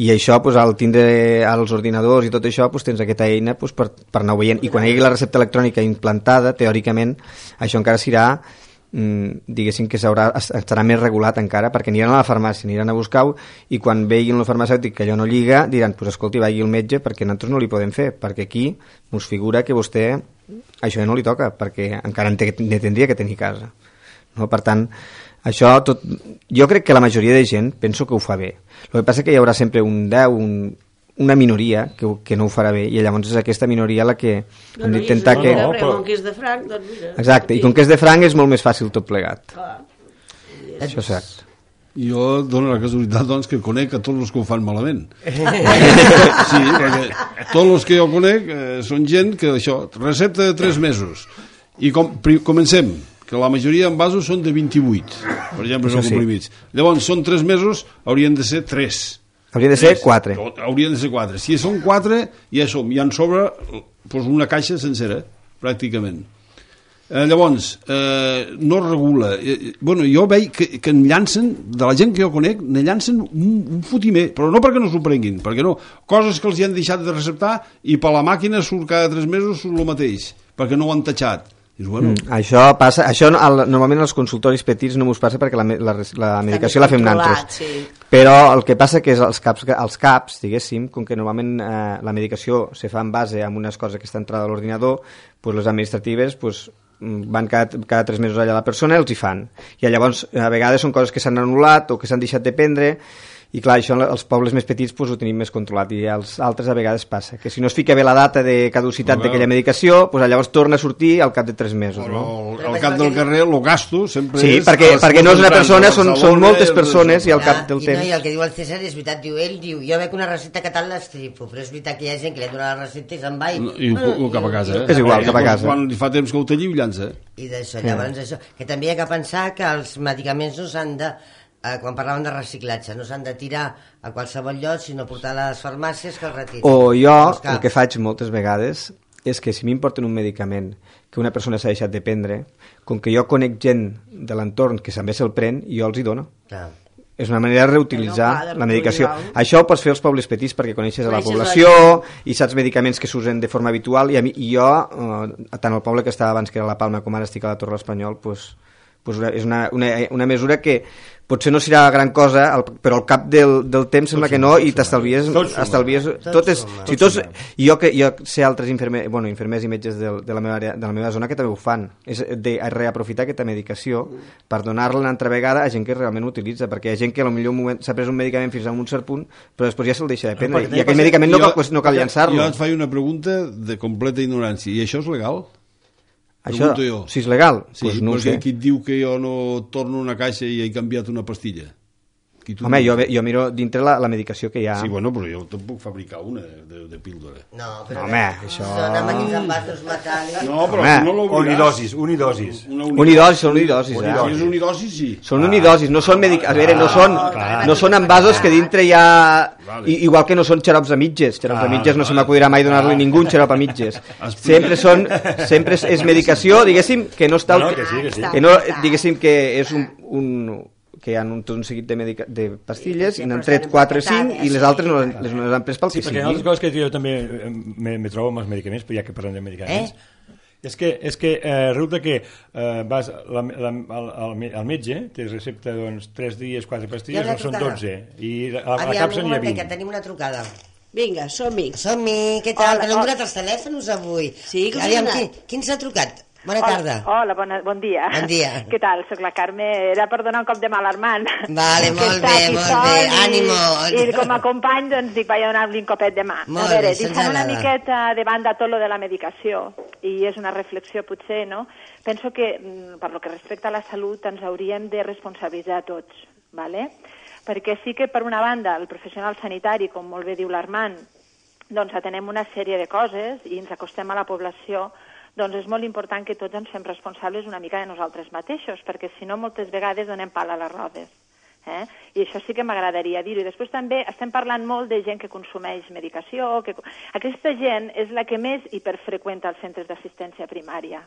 Speaker 5: I això, al tindre els ordinadors i tot això, tens aquesta eina per anar veient. I quan hi hagi la recepta electrònica implantada, teòricament, això encara serà, diguéssim que estarà més regulat encara, perquè aniran a la farmàcia, aniran a buscar-ho, i quan veguin el farmacèutic que allò no lliga, diran, escolti, vagi al metge, perquè nosaltres no li podem fer, perquè aquí us figura que vostè això no li toca, perquè encara ne tindria que tenir casa. No? Per tant, això tot, jo crec que la majoria de gent penso que ho fa bé. El que passa que hi haurà sempre una minoria que no ho farà bé, i llavors és aquesta minoria la que hem d'intentar que...
Speaker 2: Com que és de franc, doncs mira...
Speaker 5: Exacte, i com que és de franc és molt més fàcil tot plegat. Això és cert.
Speaker 3: Jo dono la casualitat doncs, que conec a tots els que ho fan malament. Sí, perquè tots els que jo conec són gent que això, recepta de 3 mesos. I comencem, que la majoria en vasos són de 28, per exemple, són comprimits. Llavors, són 3 mesos, haurien de ser 3.
Speaker 5: Haurien de ser 4.
Speaker 3: Haurien de ser 4. Si són 4, ja en sobre una caixa sencera, pràcticament. Llavors, no regula. Jo veig que en llancen, de la gent que jo conec, ne llancen un fotimer, però no perquè no s'ho prenguin, perquè no. Coses que els hi han deixat de receptar i per la màquina surt cada 3 mesos surt el mateix, perquè no ho han tatxat.
Speaker 5: Això passa, normalment als consultoris petits no us passa perquè la medicació la fem nosaltres, però el que passa que és els CAPs, diguéssim, com que normalment la medicació se fa en base a unes coses que està entrada a l'ordinador, les administratives van cada 3 mesos allà a la persona i els hi fan, i llavors a vegades són coses que s'han anul·lat o que s'han deixat de prendre. I clar, això als pobles més petits ho tenim més controlat, i als altres a vegades passa que si no es fica bé la data de caducitat d'aquella medicació, llavors torna a sortir al cap de 3 mesos.
Speaker 3: Però al cap del carrer el gasto sempre
Speaker 5: sí,
Speaker 3: és...
Speaker 5: perquè no és una persona, són moltes persones, i al cap del temps...
Speaker 1: I el que diu el César és veritat, ell diu, jo veig una recepta que tal l'estripo, però és veritat que hi ha gent que li ha donat la recepta i se'n va
Speaker 3: i cap a casa.
Speaker 5: És igual, cap a casa.
Speaker 3: Quan fa temps que ho talli, ho llança.
Speaker 1: I d'això, llavors això, que també hi ha que pensar que els medicaments no s'han de... quan parlàvem de reciclatge, no s'han de tirar a qualsevol lloc, sinó portar a les farmàcies que els retirin.
Speaker 5: O jo, el que faig moltes vegades és que si m'importen un medicament que una persona s'ha deixat de prendre, com que jo conec gent de l'entorn que també se'l pren, jo els hi dono. És una manera de reutilitzar la medicació. Això ho pots fer als pobles petits perquè coneixes a la població i saps medicaments que s'usen de forma habitual, i jo, tant al poble que estava abans, que era la Palma, com ara estic a la Torre l'Espanyol, és una mesura que potser no serà gran cosa, però al cap del temps sembla que no, i t'estalvies tot. Jo sé altres infermers i metges de la meva zona que també ho fan, és de reaprofitar aquesta medicació per donar-la una altra vegada a gent que realment utilitza, perquè hi ha gent que potser s'ha pres un medicament fins a un cert punt, però després ja se'l deixa de prendre, i aquell medicament no cal llançar-lo.
Speaker 3: Jo et faig una pregunta de completa ignorància, i això és legal?
Speaker 5: Això, si és legal,
Speaker 3: sí,
Speaker 5: no ho sé.
Speaker 3: Qui et diu que jo no torno una caixa i he canviat una pastilla?
Speaker 5: Home, jo miro dintre la medicació que hi ha.
Speaker 3: Sí, bueno, però jo te'n puc fabricar una de píldora.
Speaker 1: No, però
Speaker 5: home, això...
Speaker 1: Són amanits amb vasos metàl·lics.
Speaker 3: No, però
Speaker 5: Home,
Speaker 3: no l'obriràs.
Speaker 4: Unidosis.
Speaker 5: Unidosis, són unidosis.
Speaker 3: Si és unidosis, sí.
Speaker 5: Són unidosis, no són a veure, no són envasos que dintre hi ha... Igual que no són xarops a mitges. Xarops a mitges no se m'acudirà mai donar-li ningú un xarop a mitges. Sempre és medicació, diguéssim, que no està... Que no, diguéssim que és que hi ha tot un seguit de pastilles, i n'han tret 4 o 5 i les altres no les han pres pel que sigui.
Speaker 4: Perquè una de les coses que jo també me trobo amb els medicaments, però ja que parlem de medicaments, és que resulta que vas al metge, te recepta 3 dies, 4 pastilles, no són 12, i a la capsa n'hi ha 20.
Speaker 1: Que tenim una trucada.
Speaker 2: Vinga, som-hi.
Speaker 1: Som-hi, què tal? Que no hem donat els telèfons avui.
Speaker 2: Sí, com
Speaker 1: aviam, qui ens ha trucat? Bona tarda.
Speaker 7: Hola, bon dia.
Speaker 1: Bon dia.
Speaker 7: Què tal? Soc la Carme. Era per donar un cop de mà a l'Armand.
Speaker 1: Vale, molt bé. Ànimo.
Speaker 7: I com a company, doncs, dic, vaig a donar-li un copet de mà.
Speaker 1: Molt bé,
Speaker 7: deixant una miqueta de banda tot lo de la medicació, i és una reflexió potser, no? Penso que, per lo que respecta a la salut, ens hauríem de responsabilitzar tots, ¿vale? Perquè sí que, per una banda, el professional sanitari, com molt bé diu l'Armand, doncs atenem una sèrie de coses i ens acostem a la població, doncs és molt important que tots ens fem responsables una mica de nosaltres mateixos, perquè si no moltes vegades donem pal a les rodes. I això sí que m'agradaria dir-ho. I després també estem parlant molt de gent que consumeix medicació. Aquesta gent és la que més hiperfreqüenta els centres d'assistència primària.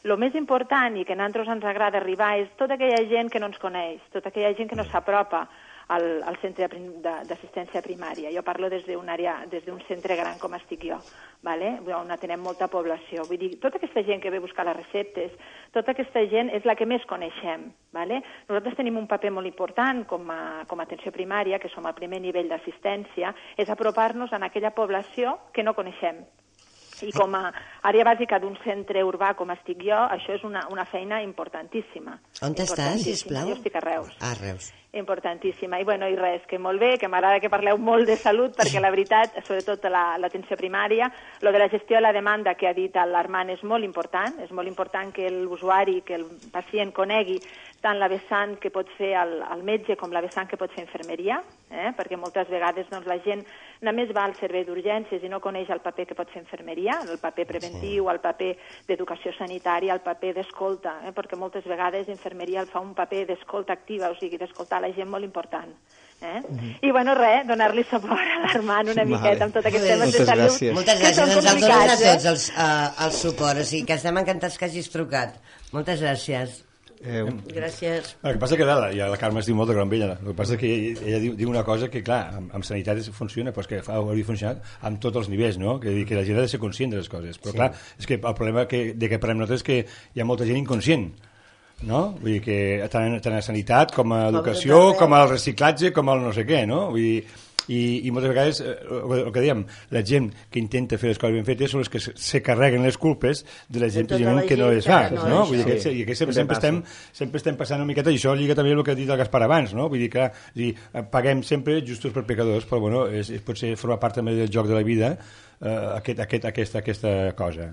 Speaker 7: Lo més important i que a nosaltres ens agrada arribar és tota aquella gent que no ens coneix, tota aquella gent que no s'apropa al centre d'assistència primària. Jo parlo des d'un centre gran com estic jo, on atenem molta població. Vull dir, tota aquesta gent que ve a buscar les receptes, tota aquesta gent és la que més coneixem. Nosaltres tenim un paper molt important com a atenció primària, que som al primer nivell d'assistència, és apropar-nos a aquella població que no coneixem. I com a àrea bàsica d'un centre urbà com estic jo, això és una feina importantíssima.
Speaker 1: On estàs, sisplau?
Speaker 7: Jo estic a Reus.
Speaker 1: A Reus.
Speaker 7: Importantíssima. I res, que molt bé, que m'agrada que parleu molt de salut, perquè la veritat, sobretot l'atenció primària, lo de la gestió de la demanda que ha dit l'Armand és molt important que l'usuari, que el pacient conegui tant la vessant que pot fer el metge com la vessant que pot fer infermeria, perquè moltes vegades la gent només va al servei d'urgències i no coneix el paper que pot fer infermeria, el paper preventiu, el paper d'educació sanitària, el paper d'escolta, perquè moltes vegades infermeria fa un paper d'escolta activa, o sigui, d'escoltar la gent molt important. I res, donar-li suport a l'Armand una miqueta amb tot aquest tema de salut.
Speaker 1: Moltes gràcies, ens el donen a tots el suport, o sigui que estem encantats que hagis trucat. Moltes gràcies.
Speaker 2: Gràcies.
Speaker 4: El que passa que la Carme es diu molt de gran vella. El que passa que ella diu una cosa que, clar, amb sanitat funciona, però és que hauria funcionat amb tots els nivells, no? Que la gent ha de ser conscient de les coses. Però, clar, és que el problema de que parlem nosaltres és que hi ha molta gent inconscient, no? Vull dir que tant a sanitat com a educació, com al reciclatge, com al no sé què, no? Vull dir, i moltes vegades, el que dèiem, la gent que intenta fer les coses ben fetes són les que se carreguen les culpes de la gent que no les fa, no? Vull dir que sempre estem passant una miqueta, i això lliga també el que ha dit el Gaspar abans, no? Vull dir que paguem sempre justos per pecadors, però bueno, potser forma part també del joc de la vida aquesta cosa.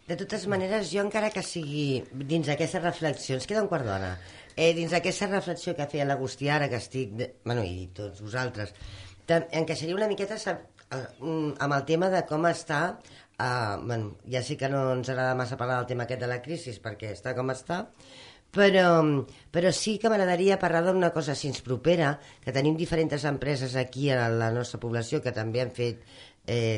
Speaker 1: De totes maneres, jo encara que sigui dins d'aquesta reflexió, ens queda un quart d'hora, dins d'aquesta reflexió que feia l'Agustí ara, que estic, i tots vosaltres, encaixaria una miqueta amb el tema de com està, ja sé que no ens agrada massa parlar del tema aquest de la crisi, perquè està com està, però sí que m'agradaria parlar d'una cosa així propera, que tenim diferents empreses aquí a la nostra població que també han fet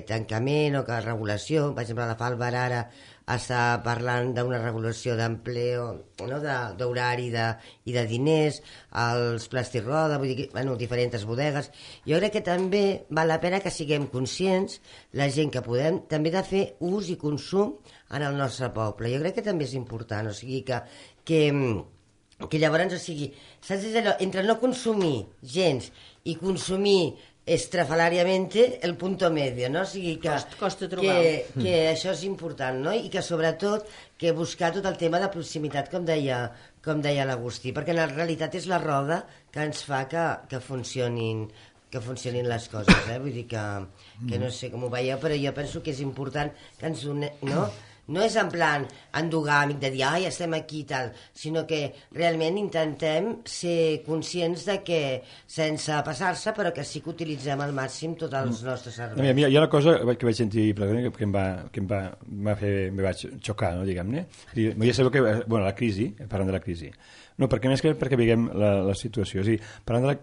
Speaker 1: tancament o que regulació. Per exemple, la Falbar ara està parlant d'una regulació d'empleo, no? d'horari i de diners, els Plastirroda, vull dir, diferents bodegues. Jo crec que també val la pena que siguem conscients, la gent que podem, també de fer ús i consum en el nostre poble. Jo crec que també és important, o sigui que llavors, o sigui, saps, entre no consumir gens i consumir estrafalariamente el punto medio, no? O sigui
Speaker 2: costa trobar.
Speaker 1: Que això és important, no? I que sobretot que buscar tot el tema de proximitat, com deia l'Agustí, perquè en realitat és la roda que ens fa que funcionin les coses, vull dir que no sé com ho veieu, però jo penso que és important que ens no és en plan endogàmic de dir, ai, estem aquí i tal, sinó que realment intentem ser conscients de que, sense passar-se, però que sí que utilitzem al màxim tots els nostres serveis.
Speaker 4: Hi ha una cosa que vaig sentir que em vaig xocar, no, diguem-ne. Ja sabeu que, la crisi, parlant de la crisi, no, perquè més que perquè veiem la situació. És a dir,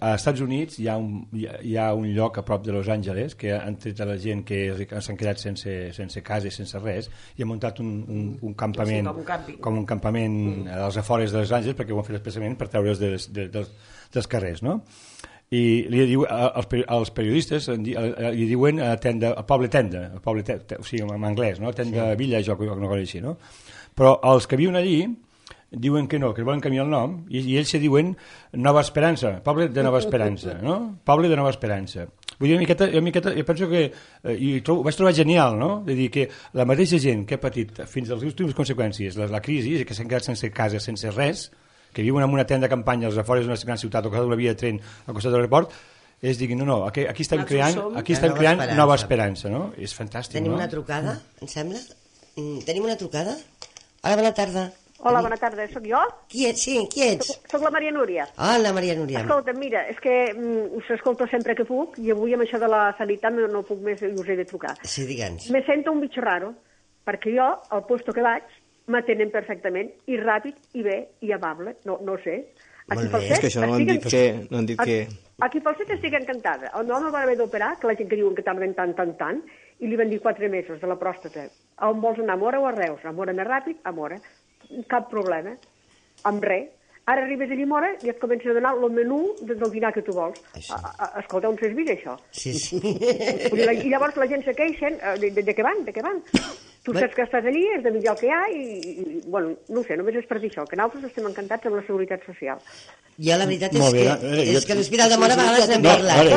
Speaker 4: als Estats Units hi ha un lloc a prop de Los Angeles que han tret a la gent que s'han quedat sense casa i sense res i han muntat un campament, com un campament als afores de Los Angeles, perquè ho han fet expressament per treure's dels carrers, no? I li diu, als periodistes li diuen poble tenda, o sigui, en anglès, no? Tenda village o una cosa així, no? Però els que viuen allí diuen que no, que volen canviar el nom, i ells se diuen Nova Esperança, poble de Nova Esperança, no? Poble de Nova Esperança. Vull dir, una miqueta, jo penso que, ho vaig trobar genial, no? De dir que la mateixa gent que ha patit fins a les últimes conseqüències la crisi, que s'han quedat sense casa, sense res, que viuen en una tenda de campanya als afores d'una gran ciutat o que d'una via de tren al costat de l'aeroport, diguin, no, aquí estem creant Nova Esperança, no? És fantàstic, no?
Speaker 1: Tenim una trucada, em sembla? Tenim una trucada? Hola, bona tarda.
Speaker 8: Hola, bona tarda, sóc jo?
Speaker 1: Qui ets? Sí, qui ets?
Speaker 8: Soc la Maria Núria.
Speaker 1: Hola, Maria Núria.
Speaker 8: Escolta, mira, és que us escolto sempre que puc i avui amb això de la sanitat no puc més i us he de trucar.
Speaker 1: Sí, digue'ns.
Speaker 8: Me sento un bitxo raro, perquè jo, al puesto que vaig, m'atenen perfectament, i ràpid, i bé, i amable, no sé.
Speaker 5: Molt bé, és que això no han dit que...
Speaker 8: Aquí pel fet estic encantada. El meu home va haver d'operar, que la gent que diuen que tarden tant, i li van dir 4 mesos de la pròstata. On vols anar, a Móra o a Reus? A Móra més ràpid, a Móra. Cap problema, amb res. Ara arribes a Llimora i et comencen a donar el menú del dinar que tu vols. Escolta, on s'és vist això?
Speaker 1: Sí.
Speaker 8: I llavors la gent se queixen de què van. Tu saps que estàs allí, és de millor el que hi ha i bueno, no ho sé, només és per dir això, que nosaltres estem encantats amb la seguretat social.
Speaker 1: Jo la veritat és que l'Hospital de Móra a vegades n'hem parlat.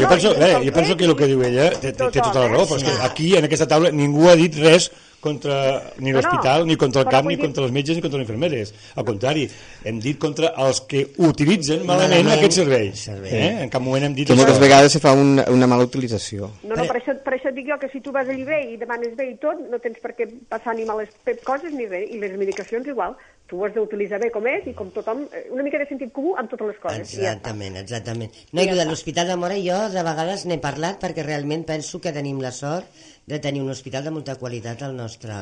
Speaker 4: Jo penso que el que diu ella té tota la raó, però és que aquí, en aquesta taula, ningú ha dit res contra ni l'hospital, ni contra el CAP, ni contra els metges, ni contra les infermeres. Al contrari, hem dit contra els que utilitzen malament aquest servei. En cap moment hem dit...
Speaker 5: Que moltes vegades se fa una mala utilització.
Speaker 8: No, per això dic jo que si tu vas allí bé i demanes bé i tot, no tens per què passar ni males coses ni res, i les medicacions igual. Tu ho has d'utilitzar bé com és i com tothom, una mica de sentit comú amb totes les coses.
Speaker 1: Exactament. No, i de l'Hospital de Móra jo de vegades n'he parlat perquè realment penso que tenim la sort de tenir un hospital de molta qualitat al nostre...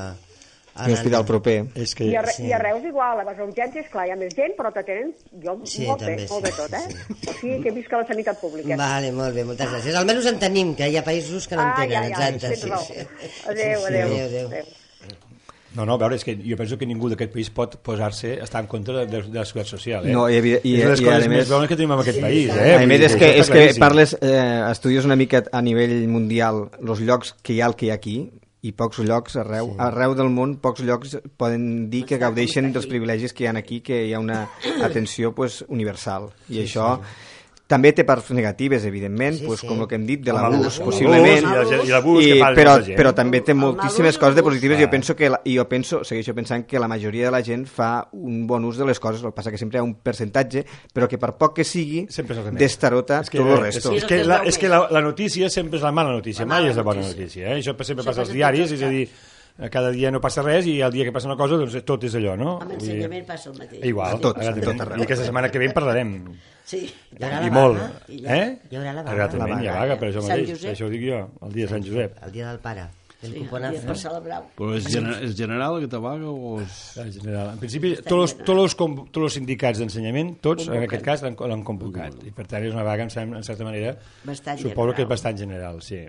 Speaker 5: Un hospital proper.
Speaker 8: I a Reus igual, a les urgències, clar, hi ha més gent, però t'atenen molt bé tot, O sigui que visca la sanitat pública.
Speaker 1: Vale, molt bé, moltes gràcies. Almenys en tenim, que hi ha països que no en tenen, exacte.
Speaker 8: Adéu.
Speaker 4: No, a veure, és que jo penso que ningú d'aquest país pot estar en contra de la seguretat social.
Speaker 5: No, i
Speaker 4: les coses més bones que tenim en aquest país.
Speaker 5: A més, és que parles, estudies una mica a nivell mundial els llocs que hi ha aquí, i pocs llocs arreu del món, pocs llocs poden dir que gaudeixen dels privilegis que hi ha aquí, que hi ha una atenció universal. I això... També té parts negatives, evidentment, com el que hem dit, de l'abús, possiblement, però també té moltíssimes coses de positives i jo segueixo pensant que la majoria de la gent fa un bon ús de les coses, el que passa que sempre hi ha un percentatge, però que per poc que sigui, destarota tot el resto.
Speaker 4: És que la notícia sempre és la mala notícia, mai és la bona notícia. Això sempre passa als diaris, és a dir, cada dia no passa res i el dia que passa una cosa doncs tot és allò, no?
Speaker 2: Amb ensenyament passa el mateix.
Speaker 4: Igual,
Speaker 5: tot arreu.
Speaker 4: I aquesta setmana que ve en parlarem.
Speaker 2: Sí.
Speaker 1: I
Speaker 4: molt.
Speaker 1: Hi haurà la vaga.
Speaker 4: Hi ha vaga, per això mateix. Això ho dic jo, el dia de Sant Josep.
Speaker 1: El dia del pare.
Speaker 2: Per celebrar.
Speaker 3: Però és general aquesta vaga o és...
Speaker 4: General. En principi, tots els sindicats d'ensenyament, tots, en aquest cas, l'han convocat. I per tant és una vaga, en certa manera, suposo que és bastant general, sí.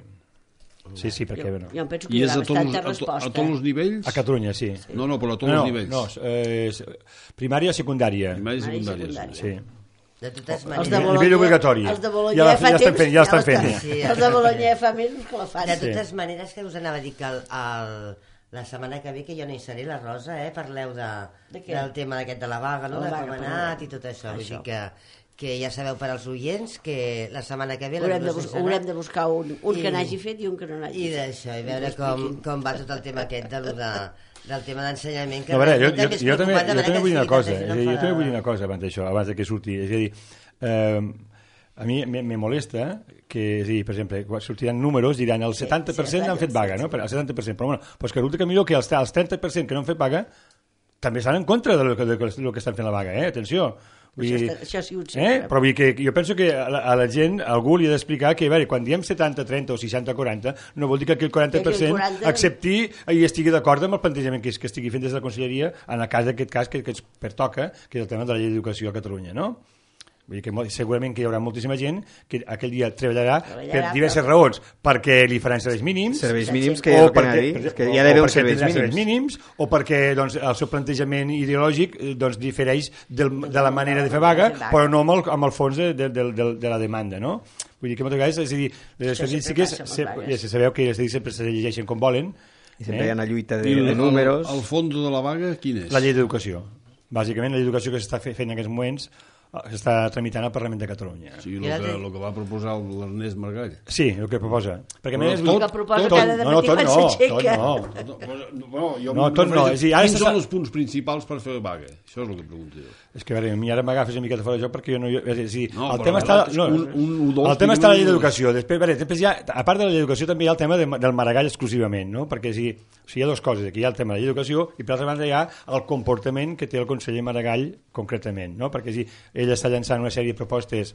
Speaker 4: Sí, perquè...
Speaker 2: Jo em penso que hi haurà bastanta resposta.
Speaker 3: A tots els nivells?
Speaker 4: A Catalunya, sí.
Speaker 3: No, però a tots els nivells.
Speaker 4: No, primària i secundària.
Speaker 3: Primària i secundària,
Speaker 4: sí.
Speaker 1: De totes maneres...
Speaker 4: Nivell obligatori.
Speaker 2: Els de Bologna fa temps...
Speaker 4: Ja estan fent.
Speaker 2: Els de Bologna fa mesos que la fan.
Speaker 1: De totes maneres, que us anava a dir que la setmana que ve, que jo no hi seré, la Rosa, parleu del tema d'aquest de la vaga, no? De com ha anat i tot això. Vull dir que ja sabeu per als oients que la setmana que ve...
Speaker 2: Haurem de buscar un que n'hagi fet i un que no n'hagi fet.
Speaker 1: I d'això, i veure com va tot el tema aquest del tema d'ensenyament.
Speaker 4: No, a veure, jo també vull dir una cosa. Jo també vull dir una cosa abans d'això, abans que surti. És a dir, a mi me molesta sí, per exemple, quan sortiran números diran el 70% han fet vaga, no? El 70%, però bueno, doncs que resulta que millor que els 30% que no han fet vaga també estan en contra de lo que estan fent la vaga, atenció.
Speaker 2: Això ha sigut sempre.
Speaker 4: Però vull dir que jo penso que a la gent algú li ha d'explicar que, a veure, quan diem 70-30 o 60-40, no vol dir que aquell 40% accepti i estigui d'acord amb el plantejament que estigui fent des de la Conselleria en el cas d'aquest cas que ens pertoca, que és el tema de la llei d'educació a Catalunya, no? Vull dir que segurament que hi haurà moltíssima gent que aquell dia treballarà per diverses raons, perquè li faran serveis mínims,
Speaker 5: que ja que hi ha d'haver uns serveis
Speaker 4: mínims, o perquè doncs, el seu plantejament ideològic doncs, difereix de la manera de fer vaga, però no amb el fons de la demanda, no? Vull dir que moltes vegades, és a dir, les estadístiques sabeu que les estadístiques sempre se llegeixen com volen,
Speaker 5: i sempre hi ha una lluita de números.
Speaker 3: El fons de la vaga quin és?
Speaker 4: La llei d'educació. Bàsicament la llei d'educació que s'està fent en aquests moments s'està tramitant al Parlament de Catalunya.
Speaker 3: Sí, el que va proposar l'Ernest Maragall.
Speaker 4: Sí, el que proposa. Perquè
Speaker 2: el que proposa cada dematí quan s'aixeca.
Speaker 4: Tot no.
Speaker 3: Quins són els punts principals per fer vaga? Això és el que pregunto jo.
Speaker 4: És que a veure, a mi ara m'agafes una miqueta fora de joc perquè jo no... El tema està a la llei d'educació. Després ja, a part de la llei d'educació, també hi ha el tema del Maragall exclusivament, no? Perquè hi ha dues coses. Aquí hi ha el tema de la llei d'educació i per altra banda hi ha el comportament que té el conseller Maragall concretament, no? Perquè ell està llançant una sèrie de propostes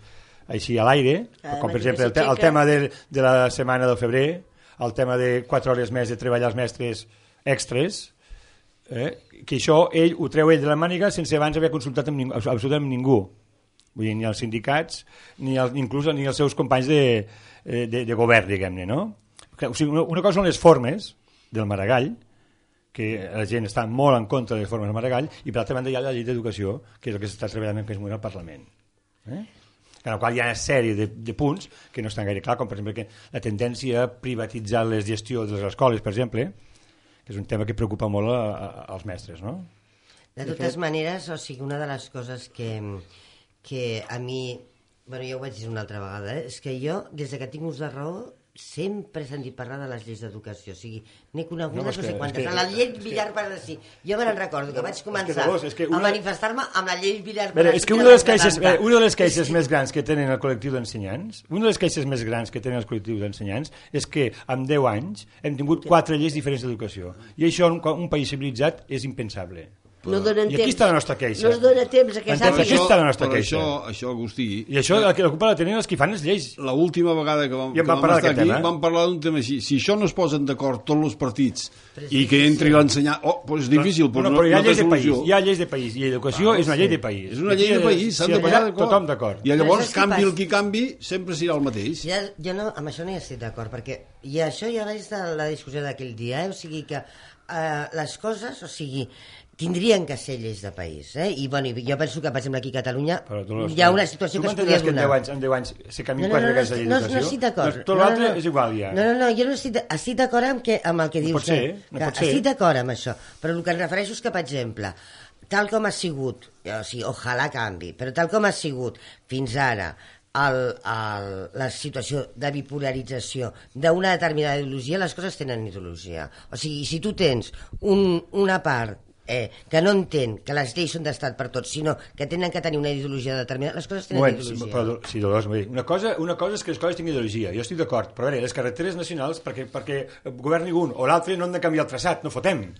Speaker 4: així a l'aire, com per exemple el tema de la setmana del febrer, el tema de 4 hores més de treballar els mestres extres, que això ell ho treu ell de la màniga sense abans haver consultat amb absolutament ningú. Vull dir, ni els sindicats inclús ni els seus companys de govern, diguem-ne, no? O sigui, una cosa són les formes del Maragall, que la gent està molt en contra de les formes del Maragall, i per altra banda hi ha la llei d'educació, que és el que s'està treballant en aquest moment al Parlament. En el qual hi ha una sèrie de punts que no estan gaire clar, com per exemple que la tendència a privatitzar les gestions de les escoles, per exemple, que és un tema que preocupa molt als mestres, no?
Speaker 1: De totes maneres, o sigui, una de les coses que a mi, bueno, ja ho vaig dir una altra vegada, és que jo, des que tinc ús de raó, sempre he sentit parlar de les lleis d'educació, o sigui, n'he conegut no sé quantes. La llei Villar per sí. Jo me'n recordo que vaig començar a manifestar-me amb la llei Villar per
Speaker 4: és que una de les queixes més grans que tenen el col·lectiu d'ensenyants, és que en 10 anys hem tingut 4 lleis diferents d'educació. I això en un país civilitzat és impensable.
Speaker 2: No donen temps.
Speaker 4: I aquí està la nostra queixa.
Speaker 2: No es dona temps a que sàpiga.
Speaker 4: Aquí està la nostra queixa.
Speaker 3: Això, Agustí...
Speaker 4: I això la culpa la tenen els que fan les lleis.
Speaker 3: L'última vegada que vam estar aquí vam parlar d'un tema així. Si això no es posen d'acord tots els partits i que entri l'ensenyar... doncs és difícil, però no té solució.
Speaker 4: Hi ha lleis de país i l'educació és una llei de país.
Speaker 3: És una llei de país, s'han de posar d'acord.
Speaker 4: Tothom d'acord.
Speaker 3: I llavors canvi el qui canvi sempre serà el mateix.
Speaker 1: Jo no, amb això no hi estic d'acord, perquè i això ja vaig de la discussió d'aquell dia, o sigui que les coses, o sigui, tindrien que ser lleis de país, I bueno, jo penso que, per exemple, aquí a Catalunya hi ha una situació que es podria donar.
Speaker 4: En 10 anys se canvien 4 vegades la llei d'educació?
Speaker 1: No estic d'acord.
Speaker 4: Tot l'altre és igual, ja.
Speaker 1: No, jo no estic d'acord amb el que dius.
Speaker 4: No pot ser.
Speaker 1: Estic d'acord amb això, però el que em refereixo és que, per exemple, tal com ha sigut, o sigui, ojalà canvi, però tal com ha sigut fins ara la situació de bipolarització d'una determinada ideologia, les coses tenen ideologia. O sigui, si tu tens una part que no entén que les lleis són d'estat per tots, sinó que tenen que tenir una ideologia determinada, les coses tenen ideologia.
Speaker 4: Però, sí, Dolors, una cosa és que les coses tinguin ideologia, jo estic d'acord, però a veure, les carreteres nacionals, perquè governi un o l'altre no han de canviar el traçat, no fotem.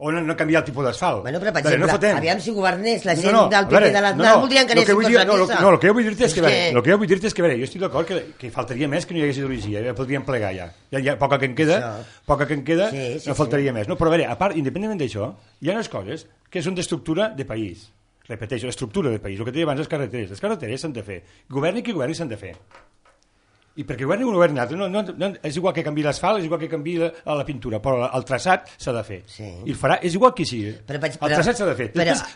Speaker 4: O no canviar el tipus d'asfalt.
Speaker 1: Bueno, però, per exemple, aviam si governés la gent del PP de l'Aznar, voldrien que anessin tots a missa.
Speaker 4: No, el que jo vull dir-te és que, jo estic d'acord que faltaria més que no hi hagués ideologia, ja podríem plegar ja. Ja poca que en queda, no faltaria més. No, però a veure, a part, independentment d'això, hi ha unes coses que són d'estructura de país. Repeteixo, l'estructura de país. El que deia abans, les carreteres s'han de fer. Governi qui governi s'han de fer. I perquè governi un govern altre, és igual que canvi l'asfalt, és igual que canvi la pintura, però el traçat s'ha de fer. I el farà, és igual qui sigui. El traçat s'ha de fer.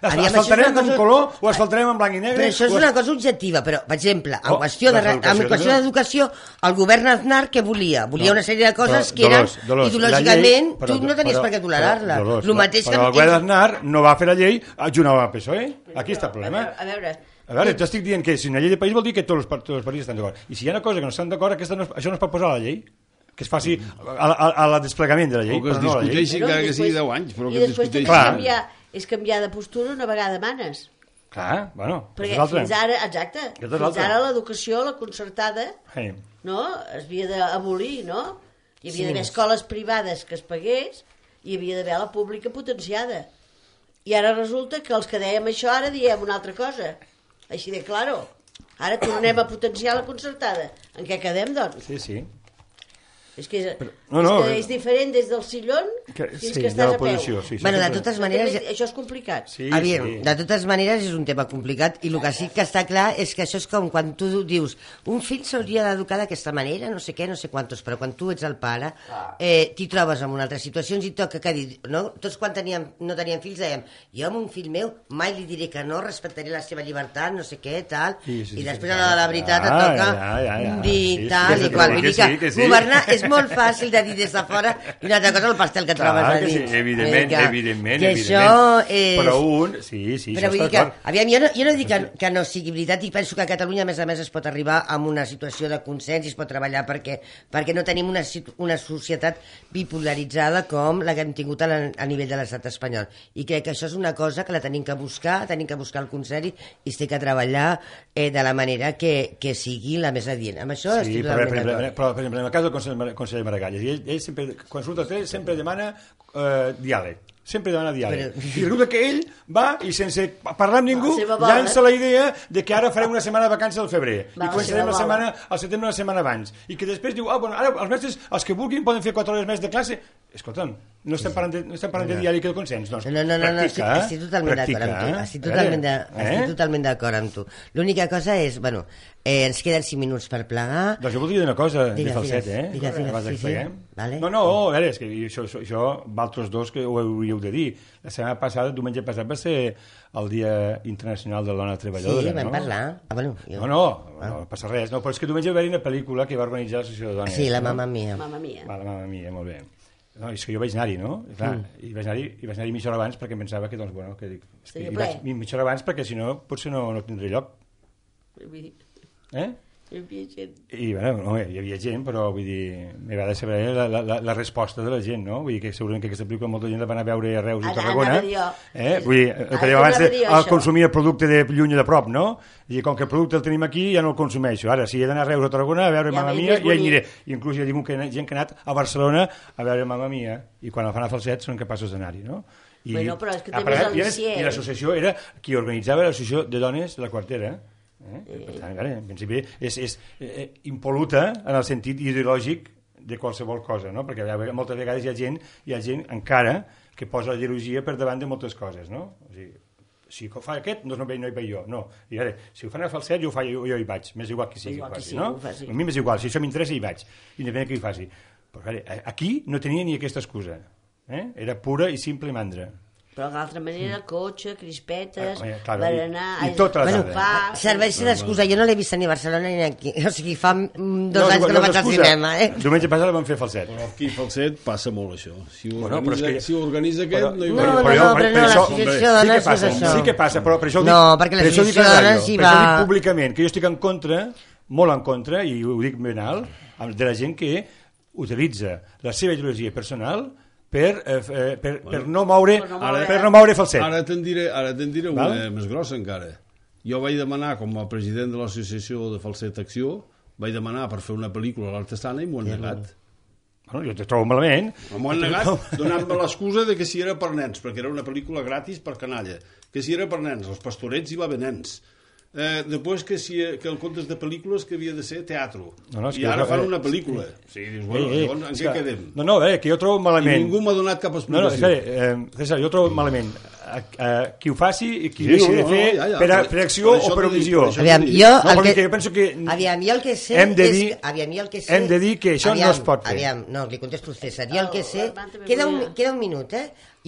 Speaker 4: Asfaltarem en color o asfaltarem en blanc i negre.
Speaker 1: Però això és una cosa objectiva, però, per exemple, en qüestió d'educació, el govern Aznar què volia? Volia una sèrie de coses que eren ideològicament, tu no tenies per què tolerar-la.
Speaker 4: Però el govern Aznar no va fer la llei junt amb el PSOE. Aquí està el problema. A veure, jo estic dient que si una llei de país vol dir que tots els partits estan d'acord. I si hi ha una cosa que no estan d'acord, això no es pot posar a la llei. Que es faci al desplegament de la llei.
Speaker 3: O que es discuteixi encara que sigui 10 anys.
Speaker 2: I després és canviar de postura una vegada manes.
Speaker 4: Clar, bueno,
Speaker 2: perquè fins ara, exacte, fins ara l'educació, la concertada, no? Es havia d'abolir, no? Hi havia d'haver escoles privades que es pagués i hi havia d'haver la pública potenciada. I ara resulta que els que dèiem això ara diem una altra cosa. Així de claro. Ara tornem a potenciar la concertada. En què quedem, doncs?
Speaker 4: Sí.
Speaker 2: És que és diferent des del sillón fins que estàs a peu.
Speaker 1: Bueno, de totes maneres...
Speaker 2: Això és complicat.
Speaker 1: De totes maneres és un tema complicat i el que sí que està clar és que això és com quan tu dius un fill s'hauria d'educar d'aquesta manera, no sé què, no sé quantos, però quan tu ets el pare t'hi trobes en una altra situació i toca que dir, no? Tots quan no teníem fills dèiem, jo amb un fill meu mai li diré que no, respectaré la seva llibertat, no sé què, tal, i després a la veritat et toca dir tal i qual. Vull dir que governar és molt fàcil de dir des de fora i una altra cosa el pastel que trobes a dins.
Speaker 4: Sí, evidentment.
Speaker 1: Això és...
Speaker 4: Però sí,
Speaker 1: però vull dir que, aviam, jo no dic que no sigui veritat i penso que a Catalunya a més es pot arribar a una situació de consens i es pot treballar perquè no tenim una societat bipolaritzada com la que hem tingut a nivell de l'estat espanyol. I crec que això és una cosa que la tenim que buscar el consens i es té que treballar de la manera que sigui la més adient. Amb això estic totalment d'acord.
Speaker 4: Però, per exemple, en el cas del conseller Maragall, ell sempre, quan surt a fer, sempre demana diàleg. Sempre demana diàleg. I resulta que ell va i sense parlar amb ningú llança la idea de que ara farem una setmana de vacances al febrer i començarem al setembre una setmana abans i que després diu, bueno, ara els mestres els que vulguin poden fer 4 hores més de classe. Escolta'm, no estem parlant de diàleg i de consens, doncs practica.
Speaker 1: Estic totalment d'acord amb tu, estic totalment d'acord amb tu. L'única cosa és, bueno, ens queden 5 minuts per plegar.
Speaker 4: Doncs jo voldria dir una cosa de falset,
Speaker 1: Digues, sí.
Speaker 4: No, a veure, és que això vosaltres dos que ho hauríeu de dir. La setmana passada, diumenge passat, va ser el Dia Internacional de la Dona Treballadora,
Speaker 1: no? Sí, vam parlar.
Speaker 4: No passa res. No, però és que diumenge va haver una pel·lícula que va organitzar l'Associació de Dones.
Speaker 1: Sí, la Mamma Mia.
Speaker 4: La Mamma Mia, molt bé. No, és que jo vaig anar-hi, no? I vaig anar-hi mitja hora abans perquè em pensava que, doncs, bueno, i vaig mitja hora abans perquè, si no, potser no tindré lloc. Hi havia gent, però vull dir, m'agrada saber la resposta de la gent, no? Vull dir que segurament que aquesta pel·lícula molta gent la van a veure a Reus i Tarragona. Vull dir, perquè abans el consumia el producte de lluny i de prop, no? I com que el producte el tenim aquí ja no el consumeixo. Ara, si he d'anar a Reus o Tarragona a veure Mamma Mia, ja hi aniré. Inclús ja dic que gent que ha anat a Barcelona a veure Mamma Mia i quan el fan a Falset són capaços d'anar-hi, no?
Speaker 2: Però és que també és al·licient.
Speaker 4: I l'associació era qui organitzava l'associació de dones de la Quartera. Per tant, en principi és impol·luta en el sentit ideològic de qualsevol cosa, no? Perquè moltes vegades hi ha gent encara que posa la ideologia per davant de moltes coses, no? O sigui, si ho fa aquest, doncs no hi vaig jo, no. I ara, si ho fan a Falset, jo hi vaig, m'és igual que sigui, no? A mi m'és igual, si això m'interessa hi vaig, independent que hi faci. Però aquí no tenia ni aquesta excusa, era pura i simple mandra.
Speaker 2: Però d'altra manera, cotxe, crispetes, berenar...
Speaker 4: I tota la tarda.
Speaker 1: Serveix d'excusa. Jo no l'he vist ni a Barcelona ni aquí. O sigui, fa 2 anys que no vaig al cinema.
Speaker 4: Diumenge passat la vam fer a Falset.
Speaker 3: Però aquí a Falset passa molt això. Si ho organitza aquest, no hi
Speaker 1: va. No, l'associació de dones és això.
Speaker 4: Sí que passa, però per això ho dic...
Speaker 1: No, perquè l'associació de dones hi va...
Speaker 4: Per això dic públicament, que jo estic en contra, molt en contra, i ho dic ben alt, de la gent que utilitza la seva ideologia personal per no moure Falset.
Speaker 3: Ara te'n diré una més grossa encara. Jo vaig demanar, com a president de l'associació de Falset Acció, vaig demanar per fer una pel·lícula a l'Artesana i m'ho han negat.
Speaker 4: Bueno, jo te trobo malament.
Speaker 3: M'ho han negat donant-me l'excusa de que si era per nens, perquè era una pel·lícula gratis per canalla, que si era per nens, els pastorets hi va haver nens. Després que el comptes de pel·lícules que havia de ser teatre i ara fan una pel·lícula dius, bueno, en què quedem?
Speaker 4: Que jo trobo malament
Speaker 3: i ningú m'ha donat cap explicació.
Speaker 4: César, jo trobo malament qui ho faci i qui deixi de fer per acció o per omissió.
Speaker 1: Jo
Speaker 4: penso que
Speaker 1: el que sé
Speaker 4: hem de dir que això no es pot fer.
Speaker 1: No, li contesto al César. Jo el que sé... Queda un minut,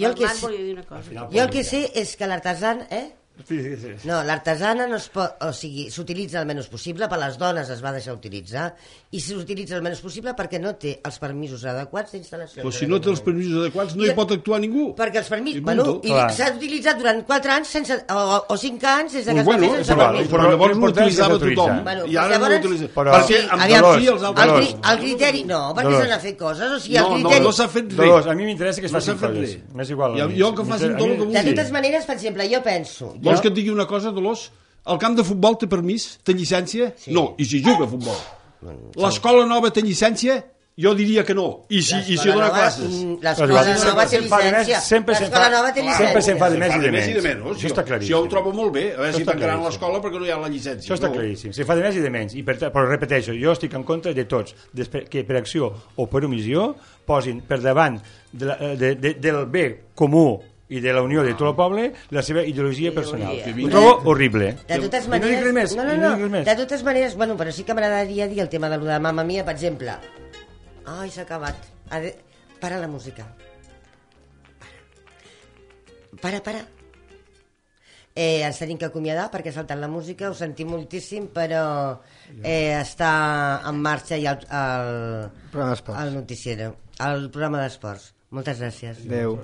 Speaker 1: Jo el que sé és que l'artesà... No, l'artesana no es pot, o sigui, s'utilitza el menys possible, per les dones es va deixar utilitzar i s'utilitza el menys possible perquè no té els permisos adequats d'instal·lació.
Speaker 3: Però si no té els permisos adequats no hi pot actuar ningú.
Speaker 1: Perquè els permisos, i s'ha utilitzat durant 4 anys o 5 anys des que es va fer sense permisos.
Speaker 3: Però llavors no utilitzava tothom i ara no l'utilitza. Perquè
Speaker 1: el criteri, no, perquè s'han de fer coses, o sigui, el criteri...
Speaker 3: No s'ha fet res.
Speaker 4: A mi m'interessa que es facin coses. M'és igual.
Speaker 3: Jo que facin tot el que vulgui.
Speaker 1: De totes maneres, per exemple, jo penso...
Speaker 3: Vols que et digui una cosa, Dolors? El camp de futbol té permís? Té llicència? Sí. No, i si juga a futbol. L'escola nova té llicència? Jo diria que no. I si dona classes?
Speaker 1: L'escola nova té llicència.
Speaker 4: Sempre se'n fa de més i de menys. Això està claríssim.
Speaker 3: Si jo ho trobo molt bé, a veure si tancaran l'escola perquè no hi ha la llicència.
Speaker 4: Això està claríssim. Se fa de més i de menys. Però repeteixo, jo estic en contra de tots que per acció o per omissió posin per davant del bé comú i de la unió de tot el poble la seva ideologia personal. Ho trobo horrible.
Speaker 1: De totes maneres... De totes maneres, bueno, però sí que m'agradaria dir el tema de lo de Mamma Mia, per exemple. Ai, s'ha acabat. Para la música. Para. Ens tenim que acomiadar perquè ha saltat la música, ho sentim moltíssim, però està en marxa ja el noticiero, el programa d'esports. Moltes gràcies.
Speaker 5: Adéu.